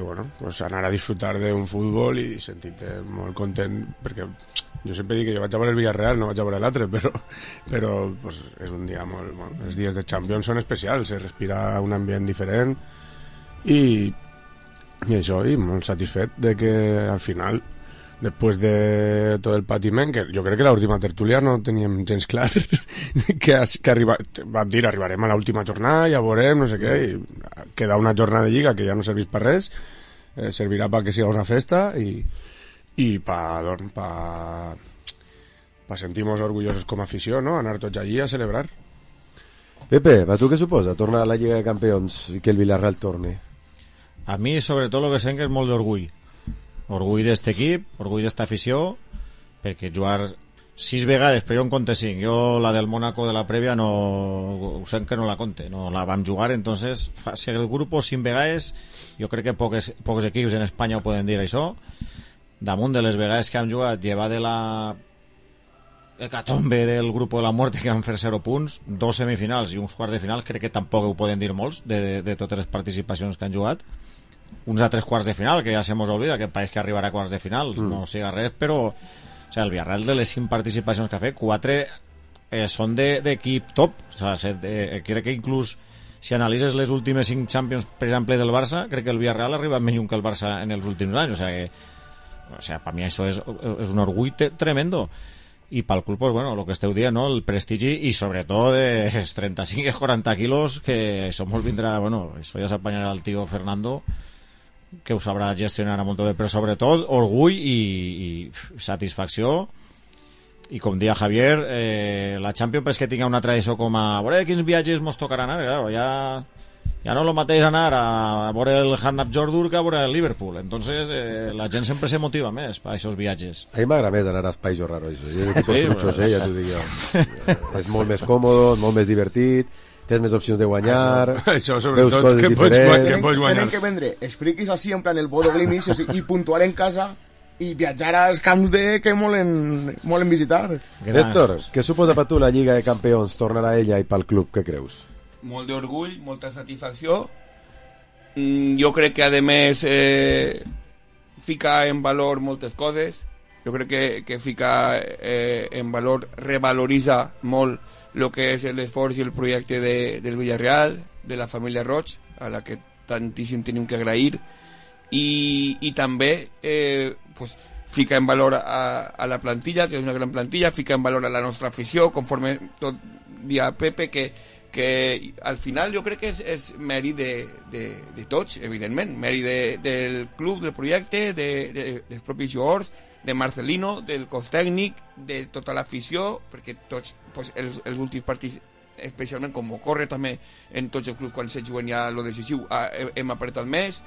bueno, pues anar a disfrutar d'un futbol i sentir-te molt content, perquè jo sempre dic que jo vaig a veure el Villarreal, no vaig a veure l'altre, però, però pues, és un dia molt, molt... Els dies de Champions són especials, se respira un ambient diferent, i, i això, i molt satisfet de que al final, després de tot el patiment, que jo crec que l'última tertúlia no teníem gens clar, que, que arriba, vam dir arribarem a l'última jornada, ja veurem, no sé què, i queda una jornada de lliga que ja no serveix per res, eh, servirà perquè siga una festa, i i para pa, pa sentir-nos orgullosos com a afició, no? Anar tots allí a celebrar. Pepe, per tu què suposa tornar a la Lliga de Campions i que el Villarreal torne? A mi, sobretot, el que sent és molt d'orgull. Orgull d'este equip, orgull d'esta afició, perquè jugar sis vegades, però jo en compte cinc. Jo la del Mónaco de la prèvia no, ho sent que no la compte, no la vam jugar, entonces, fa, si el grup cinc vegades, jo crec que pocs, pocs equips en Espanya ho poden dir això. Damunt de les vegades que hem jugat, llevar de la hecatombe del grup de la muerte que van fer zero punts, dos semifinals i uns quarts de final, crec que tampoc ho poden dir molts de, de, de totes les participacions que han jugat. Uns altres quarts de final, que ja se mos oblida, que pareix que arribarà a quarts de final, mm. no siga res, però o sigui, el Villarreal de les cinc participacions que ha fet, quatre eh, són d'equip de, top, o sigui, de, crec que inclús si analitzes les últimes cinc Champions, per exemple, del Barça, crec que el Villarreal ha arribat més lluny que el Barça en els últims anys, o sigui que o sea, para mí eso es, es un orgull tremendo, y para el club pues bueno, lo que esteu dient, ¿no? El prestigi y sobre todo de treinta-cinc a quaranta quilos que eso molt vindrà, bueno, eso ya s'apanyarà el tío Fernando que ho sabrà gestionar molt bé, però sobretot orgull i, i satisfacció, i com dia Javier, eh, la Champions és que tinga una tradició com a veure quins viatges mos tocaran ara, claro, ja ja no lo mateix anar a veure el Hanap Jordur que a veure el Liverpool, entonces eh, la gent sempre se motiva més per aquests viatges. A mi m'agrada més anar als països raros, jo dic que truchos, eh, ja t'ho dic jo. És molt més còmode, molt més divertit, tens més opcions de guanyar, això, això veus coses que diferents. Que pots guanyar. Tenen que vendre els friquis així, en plan el Bodo Glimis, o sigui, i puntuar en casa i viatjar als camps de que molen, molen visitar. Néstor, què suposa per tu la Lliga de Campions, tornar a ella i pel club, què creus? Molt d'orgull, molta satisfacció. Mm, jo crec que a més eh, fica en valor moltes coses. Jo crec que, que fica eh, en valor, revaloritza molt el que és l'esforç i el projecte de, del Villarreal, de la família Roig, a la que tantíssim tenim que agrair, i, i també eh, pues, fica en valor a, a la plantilla, que és una gran plantilla, fica en valor a la nostra afició, conforme tot dia Pepe, que que al final jo crec que és, és mèrit de, de, de tots, evidentment, mèrit de, del club, del projecte, de, de, dels propis jugadors, de Marcelino, del cos tècnic, de tota l'afició, perquè tots pues, els, els últims partits, especialment com ocorre també en tots els clubs quan se juguen ja lo decisiu, hem apretat més.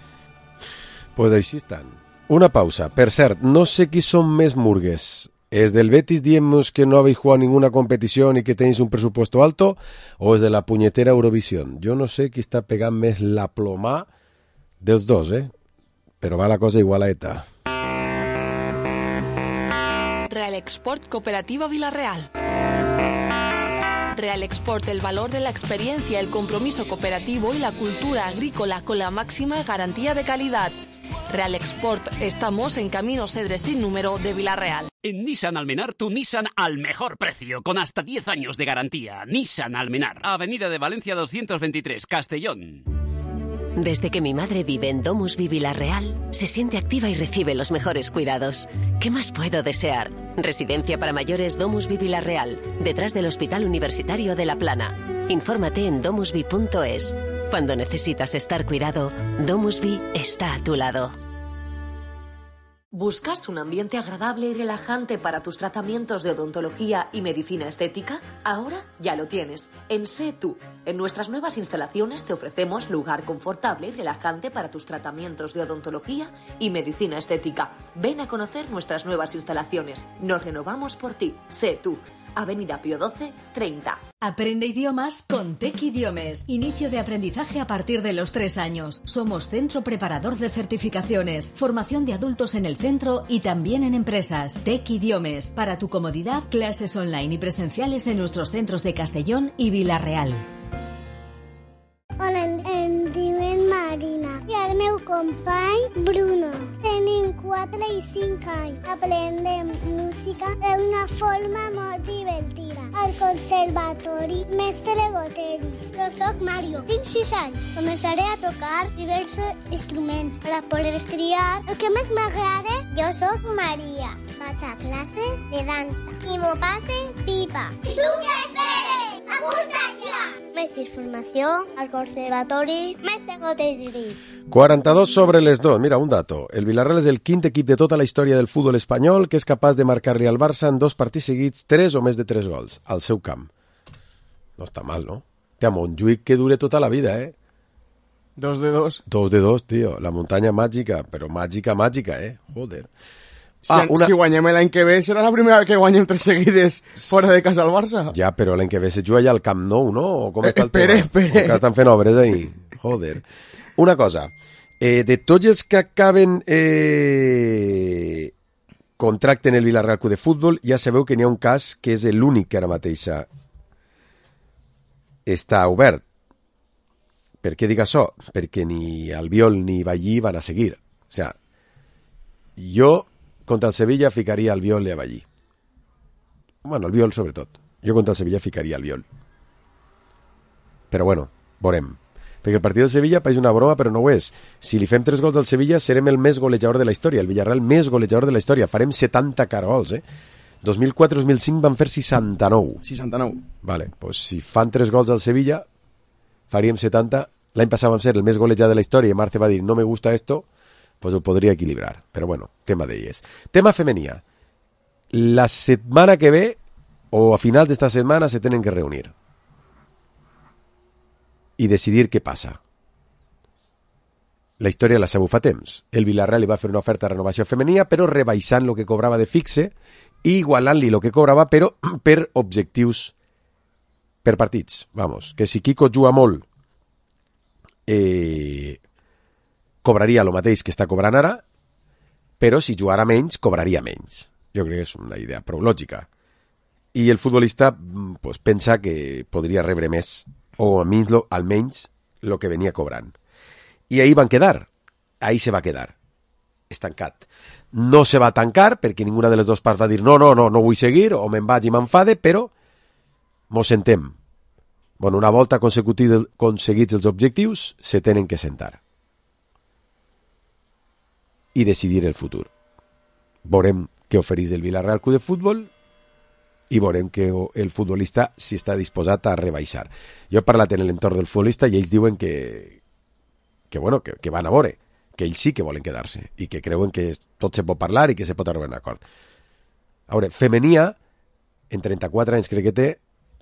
Pues així estan. Una pausa. Per cert, no sé qui són més murgues. ¿Es del Betis diemos que no habéis jugado ninguna competición y que tenéis un presupuesto alto? ¿O es de la puñetera Eurovisión? Yo no sé qui està pegant més la plomà dels dos, eh? Però va la cosa igual a ETA. Real Export Cooperativa Vilarreal. Real Export, el valor de la experiencia, el compromiso cooperativo y la cultura agrícola con la máxima garantía de calidad. Real Export, estamos en Camino Cedres sin número de Villarreal. En Nissan Almenar, tu Nissan al mejor precio, con hasta diez años de garantía. Nissan Almenar, Avenida de Valencia doscientos veintitrés, Castellón. Desde que mi madre vive en Domusvi Villarreal, se siente activa y recibe los mejores cuidados. ¿Qué más puedo desear? Residencia para mayores Domusvi Villarreal, detrás del Hospital Universitario de La Plana. Infórmate en domusvi punto es. Cuando necesitas estar cuidado, Domusvi está a tu lado. ¿Buscas un ambiente agradable y relajante para tus tratamientos de odontología y medicina estética? Ahora ya lo tienes. En Sé Tú. En nuestras nuevas instalaciones te ofrecemos lugar confortable y relajante para tus tratamientos de odontología y medicina estética. Ven a conocer nuestras nuevas instalaciones. Nos renovamos por ti. Sé Tú. Avenida Pío doce, treinta. Aprende idiomas con Tec Idiomes. Inicio de aprendizaje a partir de los tres años. Somos centro preparador de certificaciones. Formación de adultos en el centro y también en empresas. Tec Idiomes. Para tu comodidad, clases online y presenciales en nuestros centros de Castellón y Vila-real. Hola, em diuen Marina i el meu company Bruno. Tenim quatre i cinc anys. Aprendem música d'una forma molt divertida. Al conservatori Mestre Goteris. Jo soc Mario, tinc sis anys. Començaré a tocar diversos instruments per a poder triar el que més m'agrada. Jo soc Maria. Vaig a classes de dansa i m'ho passe pipa. I tu què esperes? Apunta't ja! Més informació al conservatori Mestre Goteris. quaranta-dos sobre les dos. Mira, un dato. El Villarreal és el quint equip de tota la història del futbol espanyol que és capaç de marcar-li al Barça en dos partits seguits tres o més de tres gols al seu camp. No està mal, no? Té a Montjuïc que dure tota la vida, eh? Dos de dos. Dos de dos, tio. La muntanya màgica, però màgica, màgica, eh? Joder. Si, ah, una... si guanyem l'any que ve, serà la primera vegada que guanyem tres seguides fora de casa al Barça. Ja, però l'any que ve se juga ja al Camp Nou, no? O com eh, està el espere, tema? Espere, que estan fent obres ahí. Joder. Una cosa. Eh, de tots els que acaben eh, contracte en el Villarreal Club de Futbol, ja sabeu que n'hi ha un cas que és l'únic que ara mateix està obert. Per què dic això? Perquè ni Albiol ni Ballí van a seguir. O sea, jo contra el Sevilla ficaria Albiol i a Ballí. Bueno, Albiol sobretot. Jo contra el Sevilla ficaria Albiol. Però bueno, veurem. Perquè el partit del Sevilla pareix una broma, però no ho és. Si li fem tres gols al Sevilla, serem el més golejador de la història. El Villarreal més golejador de la història. Farem setanta carols, eh? dos mil quatre dos mil cinc van fer seixanta-nou. seixanta-nou. Vale, pues si fan tres gols al Sevilla, faríem setanta. L'any passat vam ser el més golejat de la història i Marce va dir, no me gusta esto, pues ho podria equilibrar. Però bueno, tema d'elles. Tema femenia. La setmana que ve, o a finals d'esta setmana, se tenen que reunir i decidir què passa. La història la sabeu fa temps. El Villarreal li va fer una oferta de renovació femenia, però rebaixant el que cobrava de fixe i igualant-li el que cobrava, però per objectius, per partits. Vamos, que si Kiko juga molt, eh, cobraria el mateix que està cobrant ara, però si jugara menys, cobraria menys. Jo crec que és una idea prou lògica. I el futbolista pues, pensa que podria rebre més, o almenys el que venia cobrant. I ahí van quedar. Ahí se va quedar. Estancat. No se va tancar perquè ninguna de les dues parts va dir no, no, no, no vull seguir, o me'n vaig i m'enfade, però mos sentem. Bueno, una volta aconseguits els objectius, se tenen que sentar. I decidir el futur. Veurem què ofereix el Villarreal Club de Futbol i veurem que el futbolista si està disposat a rebaixar. Jo he parlat en l'entorn del futbolista i ells diuen que que, bueno, que, que van a veure, que ells sí que volen quedar-se i que creuen que tot se pot parlar i que se pot arribar a un acord. A veure, femenia, en trenta-quatre anys crec que té,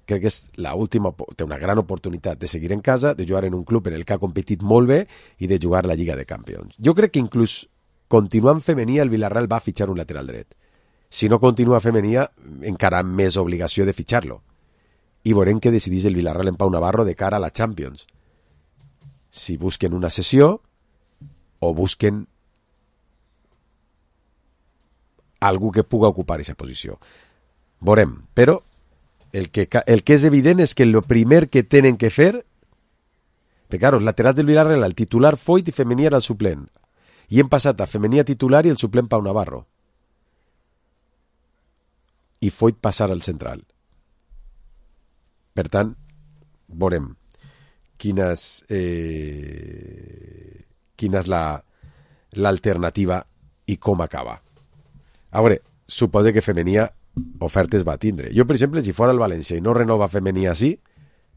crec que és la última, té una gran oportunitat de seguir en casa, de jugar en un club en el que ha competit molt bé i de jugar la Lliga de Campions. Jo crec que inclús continuant femenia el Villarreal va fitxar un lateral dret. Si no continua femenia, encara més obligació de fitxar-lo. I veurem què decidís el Villarreal en Pau Navarro de cara a la Champions. Si busquen una sessió o busquen algú que puga ocupar aquesta posició. Veurem, però el que, el que és evident és que el primer que tenen que fer, perquè, claro, els laterals del Villarreal, el titular Foyt i Femení era el suplent, i hem passat a Femení a titular i el suplent Pau Navarro, i Foyt passar al central. Per tant, veurem quina és, eh, quina és la, l'alternativa i com acaba. A veure, suposo que Femení ofertes va tindre. Jo, per exemple, si fora el València i no renova Femení així,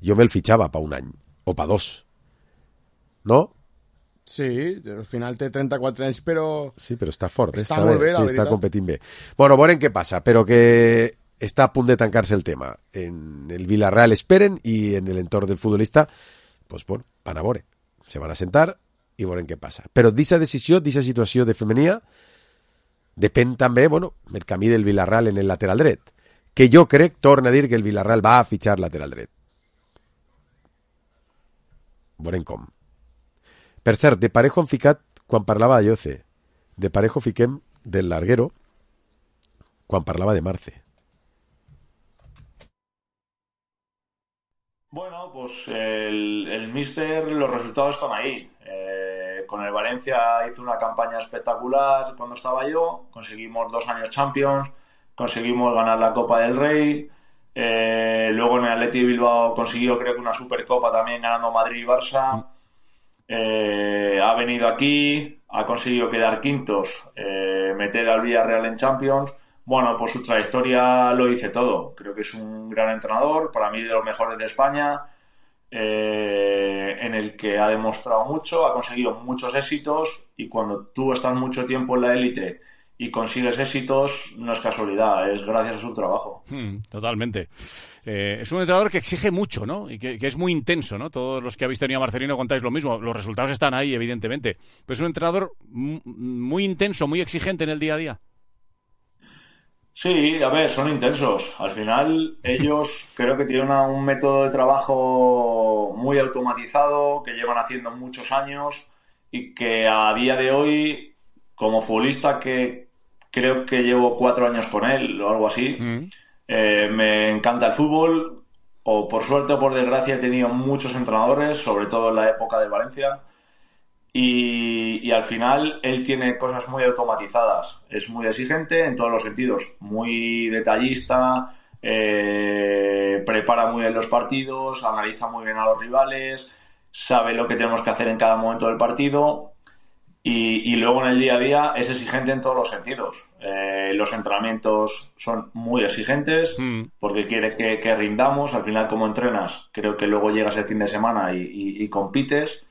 jo me'l fitxava pa un any, o pa dos. No? Sí, al final té trenta-quatre anys, però... Sí, però està fort. Està, està molt bé, la sí, veritat. Està competint bé. Bueno, veurem què passa, però que està a punt de tancar-se el tema. En el Villarreal esperen i en l'entorn del futbolista, pues, bueno, van a veure. Se van a sentar i veurem què passa. Però d'aquesta decisió, d'aquesta situació de Femení, depèn també, bueno, el camí del Villarreal en el lateral dret, que jo crec, torna a dir que el Villarreal va a fitxar lateral dret. Veurem com. Per cert, de Parejo han ficat, quan parlava de Lloce, de Parejo fiquem del larguero, quan parlava de Marce. Bueno, pues el, el míster, los resultados están ahí. Eh, con el Valencia hizo una campaña espectacular cuando estaba yo, conseguimos dos años Champions, conseguimos ganar la Copa del Rey, eh, luego en el Athletic de Bilbao consiguió creo que una Supercopa también ganando Madrid y Barça, eh, ha venido aquí, ha conseguido quedar quintos, eh, meter al Villarreal en Champions. Bueno, pues su trayectoria lo dice todo. Creo que es un gran entrenador, para mí de los mejores de España, eh, en el que ha demostrado mucho, ha conseguido muchos éxitos, y cuando tú estás mucho tiempo en la élite y consigues éxitos, no es casualidad, es gracias a su trabajo. Hmm, totalmente. Eh, es un entrenador que exige mucho, ¿no? Y que, que es muy intenso, ¿no? Todos los que habéis tenido a Marcelino contáis lo mismo. Los resultados están ahí, evidentemente. Pero es un entrenador m- muy intenso, muy exigente en el día a día. Sí, a ver, son intensos. Al final ellos creo que tienen una, un método de trabajo muy automatizado, que llevan haciendo muchos años y que a día de hoy, como futbolista, que creo que llevo cuatro años con él o algo así, mm. eh, me encanta el fútbol, o por suerte o por desgracia he tenido muchos entrenadores, sobre todo en la época de Valencia. Y, y al final él tiene cosas muy automatizadas, es muy exigente en todos los sentidos, muy detallista, eh, prepara muy bien los partidos, analiza muy bien a los rivales, sabe lo que tenemos que hacer en cada momento del partido, y, y luego en el día a día es exigente en todos los sentidos. Eh, los entrenamientos son muy exigentes mm. porque quiere que, que rindamos. Al final, como entrenas, creo que luego llegas el fin de semana y, y, y compites.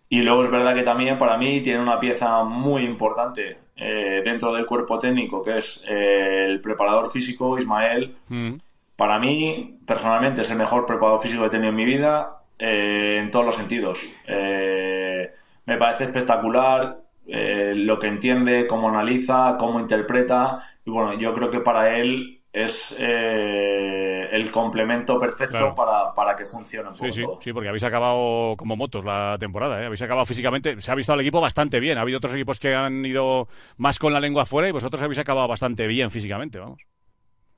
Y luego es verdad que también para mí tiene una pieza muy importante eh, dentro del cuerpo técnico, que es eh, el preparador físico, Ismael. Mm. Para mí, personalmente, es el mejor preparador físico que he tenido en mi vida, eh, en todos los sentidos. Eh, me parece espectacular eh, lo que entiende, cómo analiza, cómo interpreta. Y bueno, yo creo que para él es eh, el complemento perfecto claro. para, para que funcione un poco. Sí, sí, sí, porque habéis acabado como motos la temporada, ¿eh? Habéis acabado físicamente, se ha visto al equipo bastante bien. Ha habido otros equipos que han ido más con la lengua afuera y vosotros habéis acabado bastante bien físicamente, vamos.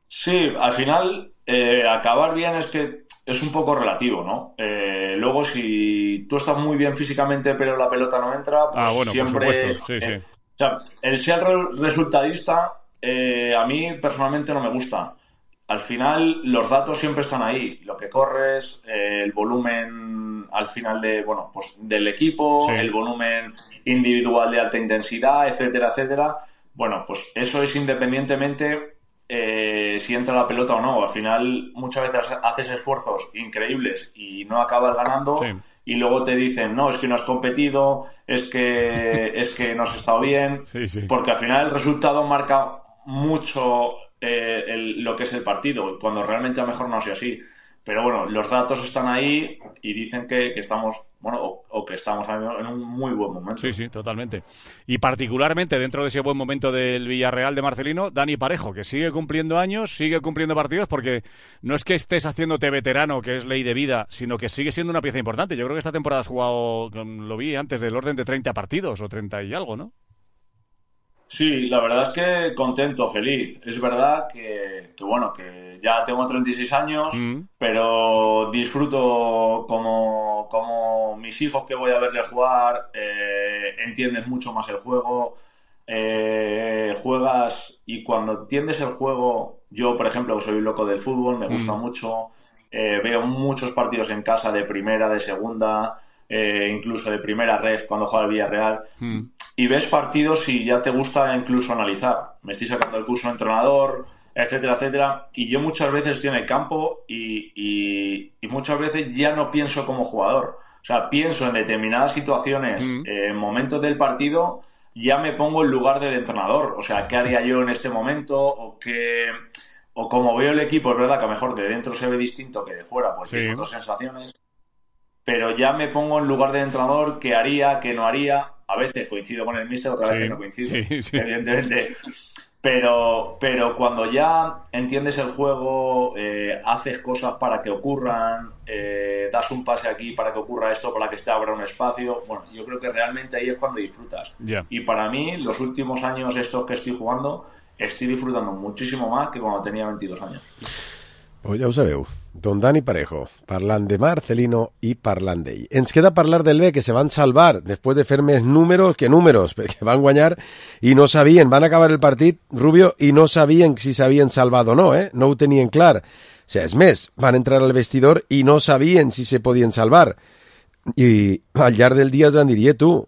Sí, al final eh, acabar bien es que es un poco relativo, ¿no? Eh, luego si tú estás muy bien físicamente pero la pelota no entra, pues ah, bueno, siempre... por supuesto, sí, sí. Eh, o sea, el ser resultadista eh, a mí personalmente no me gusta. Al final los datos siempre están ahí, lo que corres, eh, el volumen al final de bueno pues del equipo, sí. el volumen individual de alta intensidad, etcétera, etcétera. Bueno, pues eso es independientemente eh, si entra la pelota o no. Al final muchas veces haces esfuerzos increíbles y no acabas ganando sí. y luego te dicen, no, es que no has competido, es que, es que no has estado bien, sí, sí. porque al final el resultado marca mucho eh, el, lo que es el partido, cuando realmente a lo mejor no sea así. Pero bueno, los datos están ahí y dicen que, que estamos, bueno, o, o que estamos en un muy buen momento. Sí, sí, totalmente. Y particularmente dentro de ese buen momento del Villarreal de Marcelino, Dani Parejo, que sigue cumpliendo años, sigue cumpliendo partidos, porque no es que estés haciéndote veterano, que es ley de vida, sino que sigue siendo una pieza importante. Yo creo que esta temporada has jugado, lo vi antes, del orden de treinta partidos o treinta y algo, ¿no? Sí, la verdad es que contento, feliz. Es verdad que, que bueno, que ya tengo treinta y seis años, mm. pero disfruto como, como mis hijos que voy a verle jugar, eh, entienden mucho más el juego, eh, juegas y cuando entiendes el juego, yo por ejemplo soy loco del fútbol, me gusta mm. mucho, eh, veo muchos partidos en casa de primera, de segunda, eh, incluso de primera ref cuando juega el Villarreal. Mm. Y ves partidos y ya te gusta incluso analizar. Me estoy sacando el curso de entrenador, etcétera, etcétera. Y yo muchas veces estoy en el campo y, y, y muchas veces ya no pienso como jugador. O sea, pienso en determinadas situaciones, mm. eh, en momentos del partido, ya me pongo en lugar del entrenador. O sea, ¿qué haría yo en este momento? O qué... O como veo el equipo, es verdad que a lo mejor de dentro se ve distinto que de fuera, pues tienes sí. otras sensaciones. Pero ya me pongo en lugar del entrenador, qué haría, qué no haría. A veces coincido con el míster, otra vez sí, que no coincido, sí, sí. evidentemente. Pero, pero cuando ya entiendes el juego, eh, haces cosas para que ocurran, eh, das un pase aquí para que ocurra esto, para que te abra un espacio, bueno, yo creo que realmente ahí es cuando disfrutas. Yeah. Y para mí, los últimos años estos que estoy jugando, estoy disfrutando muchísimo más que cuando tenía veintidós años. Pues ja ho sabeu, don Dani Parejo, parlant de Marcelino i parlant d'ell. Ens queda parlar del B, que se van salvar després de fer més números que números, perquè van guanyar i no sabien, van acabar el partit, Rubio, i no sabien si s'havien salvat o no, eh? No ho tenien clar. O sigui, és més, van entrar al vestidor i no sabien si se podien salvar. I al llarg del dia es van dir, eh, tu,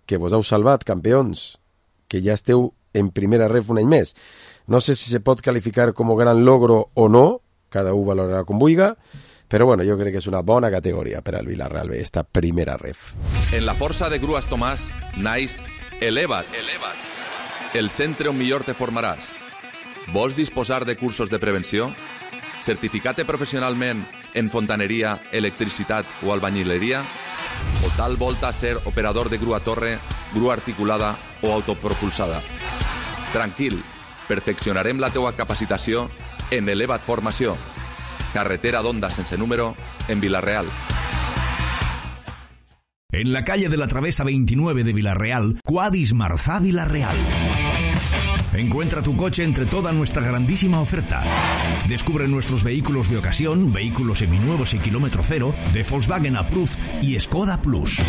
que vos heu salvat, campions, que ja esteu en primera ref un any més. No sé si se pot calificar com gran logro o no, cada un valorarà com vulga, però bueno, jo crec que és una bona categoria per al Villarreal B, esta primera ref. En la força de Grues Tomàs, naix Eleva't, Eleva't, el centre on millor te formaràs. Vols disposar de cursos de prevenció? Certificat professionalment en fontaneria, electricitat o albañileria? O tal volta ser operador de grua torre, grua articulada o autopropulsada? Tranquil, perfeccionarem la teua capacitació en Eleva't Formació, carretera d'Onda sense número, en Villarreal. En la calle de la Travesa veintinueve de Villarreal, Quadis Marzá Villarreal. Encuentra tu coche entre toda nuestra grandísima oferta. Descubre nuestros vehículos de ocasión, vehículos seminuevos y kilómetro cero, de Volkswagen Approved y Skoda Plus.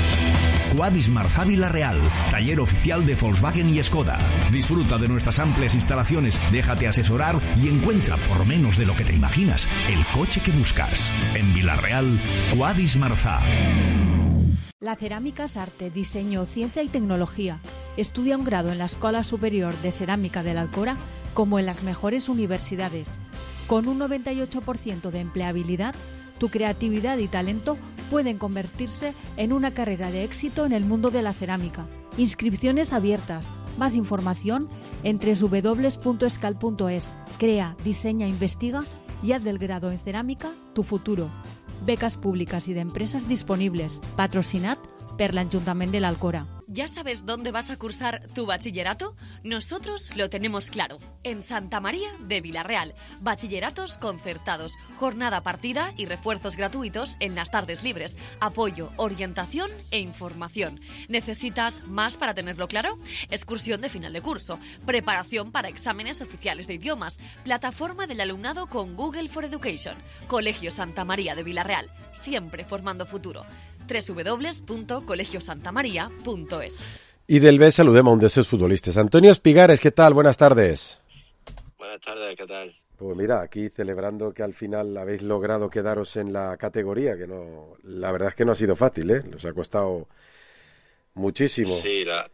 Quadis Marzá Villarreal, taller oficial de Volkswagen y Skoda. Disfruta de nuestras amplias instalaciones, déjate asesorar y encuentra por menos de lo que te imaginas el coche que buscas. En Villarreal, Quadis Marzá. La cerámica es arte, diseño, ciencia y tecnología. Estudia un grado en la Escuela Superior de Cerámica de la Alcora como en las mejores universidades. Con un noventa y ocho por ciento de empleabilidad, tu creatividad y talento pueden convertirse en una carrera de éxito en el mundo de la cerámica. Inscripciones abiertas. Más información en doble u doble u doble u punto escal punto es. Crea, diseña, investiga y haz del grado en cerámica tu futuro. Becas públicas y de empresas disponibles. Patrocinat per l'Ajuntament de l'Alcora. ¿Ya sabes dónde vas a cursar tu bachillerato? Nosotros lo tenemos claro. En Santa María de Villarreal. Bachilleratos concertados, jornada partida y refuerzos gratuitos en las tardes libres. Apoyo, orientación e información. ¿Necesitas más para tenerlo claro? Excursión de final de curso. Preparación para exámenes oficiales de idiomas. Plataforma del alumnado con Google for Education. Colegio Santa María de Villarreal. Siempre formando futuro. doble u doble u doble u punto colegio santa maría punto es. Y del B saludemos a un de sus futbolistas. Antonio Espigares, ¿qué tal? Buenas tardes. Buenas tardes, ¿qué tal? Pues mira, aquí celebrando que al final habéis logrado quedaros en la categoría, que no, la verdad es que no ha sido fácil, ¿eh? Os ha costado muchísimo. Sí, la,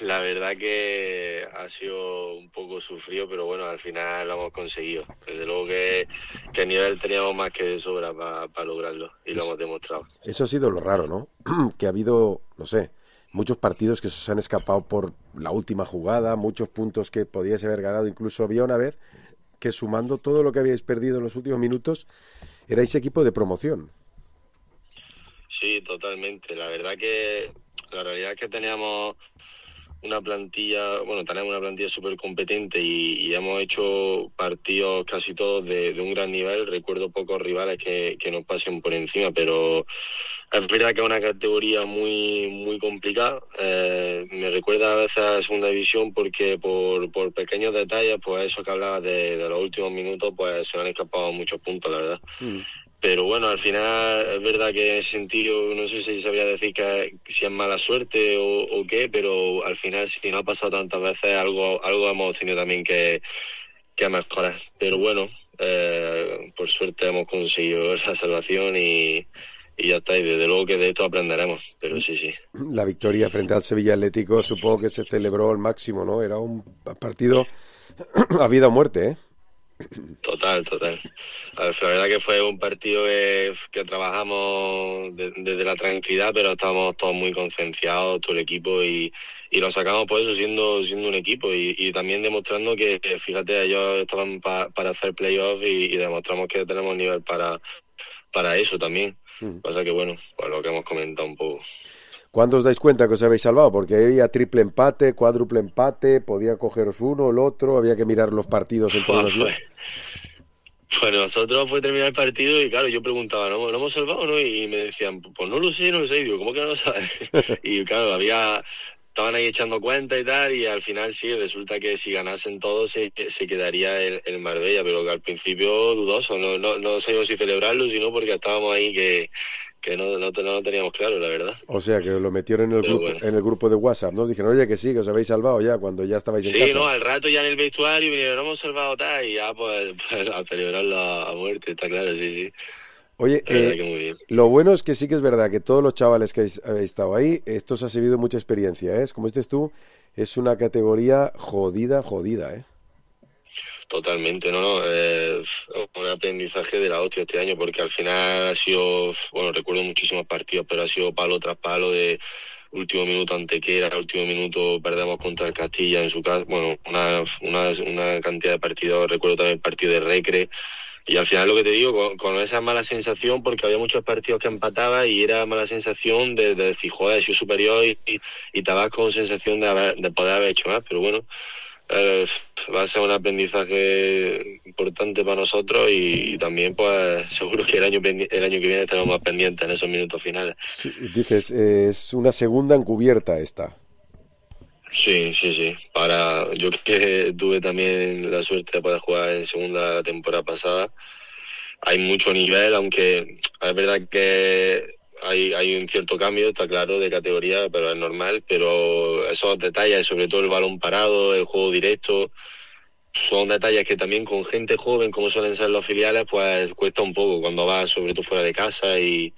la verdad que ha sido un poco sufrido, pero bueno, al final lo hemos conseguido. Desde luego que, que nivel teníamos más que de sobra para pa lograrlo y lo hemos demostrado. Eso ha sido lo raro, ¿no? Que ha habido, no sé, muchos partidos que se os han escapado por la última jugada, muchos puntos que podíais haber ganado. Incluso había una vez que sumando todo lo que habíais perdido en los últimos minutos, erais equipo de promoción. Sí, totalmente. La verdad que la realidad es que teníamos una plantilla, bueno, tenemos una plantilla súper competente y, y hemos hecho partidos casi todos de, de un gran nivel. Recuerdo pocos rivales que, que nos pasen por encima, pero es verdad que es una categoría muy muy complicada. Eh, me recuerda a veces a segunda división porque por, por pequeños detalles, pues eso que hablabas de, de los últimos minutos, pues se nos han escapado muchos puntos, la verdad. Mm. Pero bueno, al final es verdad que en ese sentido, no sé si sabría decir que si es mala suerte o, o qué, pero al final si no ha pasado tantas veces, algo algo hemos tenido también que, que mejorar. Pero bueno, eh, por suerte hemos conseguido esa salvación y, y ya está, y desde luego que de esto aprenderemos, pero sí, sí. La victoria frente al Sevilla Atlético supongo que se celebró al máximo, ¿no? Era un partido a vida o muerte, ¿eh? Total, total. La verdad que fue un partido que, que trabajamos de, desde la tranquilidad, pero estábamos todos muy concienciados, todo el equipo, y, y lo sacamos por eso siendo siendo un equipo y, y también demostrando que, que fíjate, ellos estaban pa, para hacer playoffs y, y demostramos que tenemos nivel para, para eso también. Mm. Pasa que bueno, pues lo que hemos comentado un poco. ¿Cuándo os dais cuenta que os habéis salvado? Porque había triple empate, cuádruple empate, podía cogeros uno, el otro, había que mirar los partidos entre pues, los días. Pues nosotros fue terminar el partido y claro, yo preguntaba, ¿no, ¿no hemos salvado o no? Y me decían, pues no lo sé, no lo sé. Y digo, ¿cómo que no lo sabes? Y claro, había... estaban ahí echando cuenta y tal, y al final sí, resulta que si ganasen todos se, se quedaría el, el Marbella, pero que al principio dudoso, no, no, no sabíamos si celebrarlo, sino porque estábamos ahí que... que no, no, no lo teníamos claro, la verdad. O sea, que lo metieron en el, grupo, bueno. en el grupo de WhatsApp, ¿no? Dijeron, oye, que sí, que os habéis salvado ya, cuando ya estabais sí, en casa. Sí, no, al rato ya en el vestuario vinieron, no hemos salvado tal, y ya pues, pues a celebrarlo a muerte, está claro, sí, sí. Oye, eh, lo bueno es que sí que es verdad que todos los chavales que habéis, habéis estado ahí, esto os ha servido mucha experiencia, ¿eh? Como dices tú, es una categoría jodida, jodida, ¿eh? Totalmente, no, no, eh, un aprendizaje de la hostia este año, porque al final ha sido, bueno, recuerdo muchísimos partidos, pero ha sido palo tras palo, de último minuto Antequera, último minuto perdemos contra el Castilla en su casa, bueno, una, una, una cantidad de partidos, recuerdo también el partido de Recre, y al final lo que te digo, con, con esa mala sensación, porque había muchos partidos que empataba y era mala sensación de, de decir, joder, he sido superior y, y, y te vas con sensación de, haber, de poder haber hecho más, pero bueno, Eh, va a ser un aprendizaje importante para nosotros y, y también pues seguro que el año el año que viene estaremos más pendientes en esos minutos finales. Sí, dices, eh, es una segunda encubierta esta. Sí, sí, sí. Para yo que tuve también la suerte de poder jugar en segunda la temporada pasada, hay mucho nivel, aunque es verdad que Hay, hay un cierto cambio, está claro, de categoría, pero es normal, pero esos detalles, sobre todo el balón parado, el juego directo, son detalles que también con gente joven, como suelen ser los filiales, pues cuesta un poco cuando vas sobre todo fuera de casa y,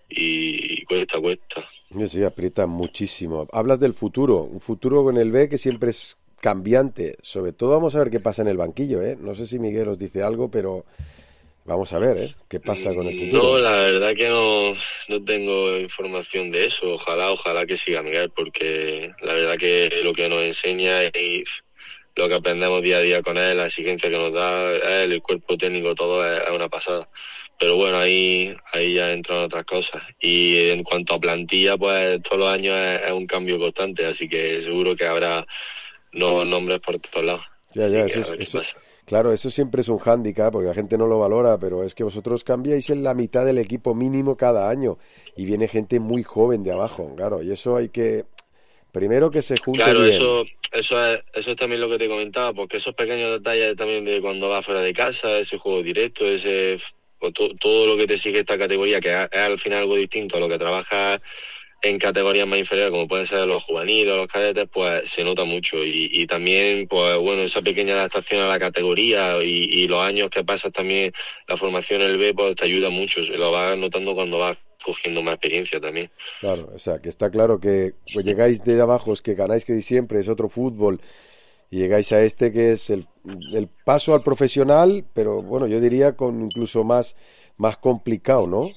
y, y cuesta, cuesta. Sí, sí, aprieta muchísimo. Hablas del futuro, un futuro con el B que siempre es cambiante, sobre todo vamos a ver qué pasa en el banquillo, ¿eh? No sé si Miguel os dice algo, pero... Vamos a ver, ¿eh? ¿Qué pasa con el futuro? No, la verdad que no, no tengo información de eso. Ojalá, ojalá que siga Miguel, porque la verdad que lo que nos enseña y lo que aprendemos día a día con él, la exigencia que nos da él, el cuerpo técnico, todo es, es una pasada. Pero bueno, ahí ahí ya entran otras cosas. Y en cuanto a plantilla, pues todos los años es, es un cambio constante, así que seguro que habrá nuevos nombres por todos lados. Ya, ya, eso, es, eso, claro, eso siempre es un hándicap porque la gente no lo valora, pero es que vosotros cambiáis en la mitad del equipo mínimo cada año y viene gente muy joven de abajo, claro, y eso hay que... Primero que se junte Claro, bien. eso eso es, eso es también lo que te comentaba, porque esos pequeños detalles también de cuando vas fuera de casa, ese juego directo, ese pues, to, todo lo que te sigue esta categoría, que es, es al final algo distinto a lo que trabajas en categorías más inferiores, como pueden ser los juveniles o los cadetes, pues se nota mucho. Y, y también, pues bueno, esa pequeña adaptación a la categoría y, y los años que pasas también, la formación en el B, pues te ayuda mucho. Lo vas notando cuando vas cogiendo más experiencia también. Claro, o sea, que está claro que pues llegáis de abajo, es que ganáis que siempre, es otro fútbol, y llegáis a este que es el, el paso al profesional, pero bueno, yo diría con incluso más, más complicado, ¿no?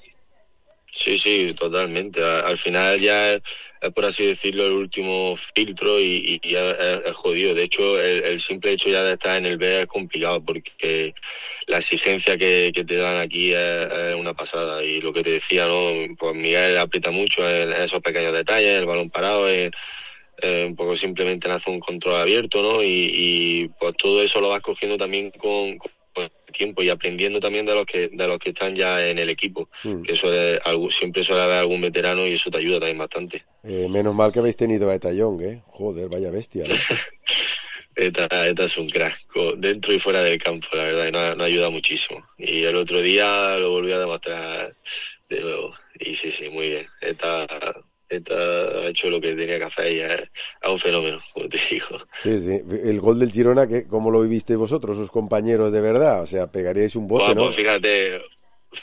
Sí, sí, totalmente. Al final ya es, es por así decirlo, el último filtro y, y, y es, es jodido. De hecho, el, el simple hecho ya de estar en el B es complicado porque la exigencia que, que te dan aquí es, es una pasada. Y lo que te decía, ¿no? Pues Miguel aprieta mucho en, en esos pequeños detalles, el balón parado, en, eh, un poco simplemente en hacer un control abierto, ¿no? Y, y pues todo eso lo vas cogiendo también con, con el tiempo y aprendiendo también de los que de los que están ya en el equipo, mm. que suele, algo, siempre suele haber algún veterano y eso te ayuda también bastante. Eh, menos mal que habéis tenido a Eta Young, ¿eh? Joder, vaya bestia, ¿no? Eta, Eta es un crack, dentro y fuera del campo, la verdad, y nos, nos ayuda muchísimo. Y el otro día lo volví a demostrar de nuevo. Y sí, sí, muy bien. Eta, Eta ha hecho lo que tenía que hacer y es, es un fenómeno, como te digo. Sí, sí. El gol del Girona, ¿qué, ¿cómo lo vivisteis vosotros, sus compañeros de verdad? O sea, pegaríais un bote, bueno, ¿no? Pues fíjate,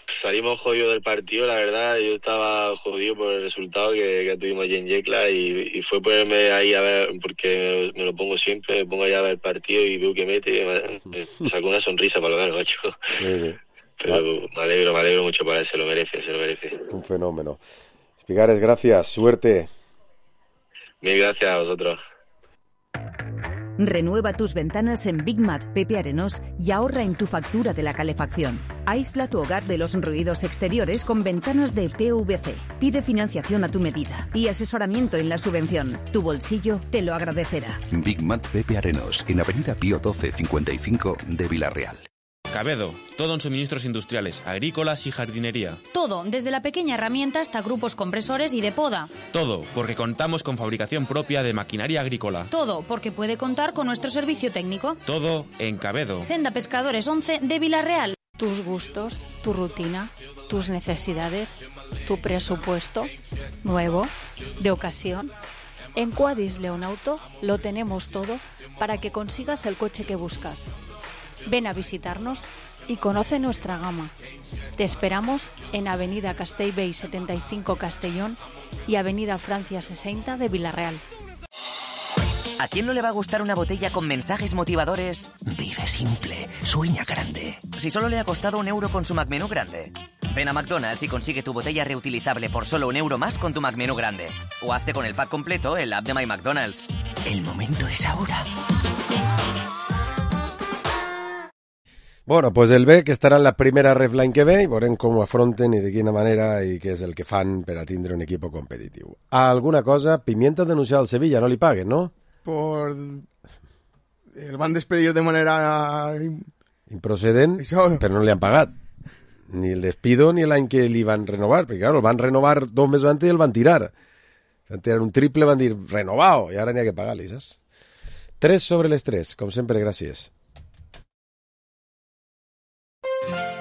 salimos jodidos del partido, la verdad. Yo estaba jodido por el resultado que, que tuvimos allí en Yecla y, y fue ponerme ahí a ver, porque me lo pongo siempre, me pongo ahí a ver el partido y veo que mete, me, me sacó una sonrisa para lo menos, macho. Sí, sí. Pero ah. me alegro, me alegro mucho para él, se lo merece, se lo merece. Un fenómeno. Espigares, gracias, suerte. Mil gracias a vosotros. Renueva tus ventanas en Big Mat Pepe Arenós y ahorra en tu factura de la calefacción. Aísla tu hogar de los ruidos exteriores con ventanas de P V C. Pide financiación a tu medida y asesoramiento en la subvención. Tu bolsillo te lo agradecerá. Big Mat Pepe Arenós, en Avenida Pío doce cincuenta y cinco de Villarreal. Cabedo, todo en suministros industriales, agrícolas y jardinería. Todo, desde la pequeña herramienta hasta grupos compresores y de poda. Todo, porque contamos con fabricación propia de maquinaria agrícola. Todo, porque puede contar con nuestro servicio técnico. Todo en Cabedo. Senda Pescadores once de Villarreal. Tus gustos, tu rutina, tus necesidades, tu presupuesto, nuevo, de ocasión. En Quadis León Auto lo tenemos todo para que consigas el coche que buscas. Ven a visitarnos y conoce nuestra gama. Te esperamos en Avenida Castellbell setenta y cinco Castellón y Avenida Francia sesenta de Villarreal. ¿A quién no le va a gustar una botella con mensajes motivadores? Vive simple, sueña grande. Si solo le ha costado un euro con su McMenú grande. Ven a McDonald's y consigue tu botella reutilizable por solo un euro más con tu McMenú grande. O hazte con el pack completo en la app de My McDonald's. El momento es ahora. Bueno, pues el B, que estarà en la primera refline que ve, i veurem com ho afronten i de quina manera i què és el que fan per a tindre un equip competitiu. Alguna cosa, Pimienta denunciar al Sevilla, no li paguen, ¿no? Por... El van despedir de manera... Improcedent, Això... però no li han pagat. Ni el despido ni l'any que li van renovar, perquè claro, el van renovar dos mesos antes i el van tirar. Van tirar un triple, van dir renovado, i ara n'hi ha que pagar-li, saps? Tres sobre les tres, com sempre, gràcies.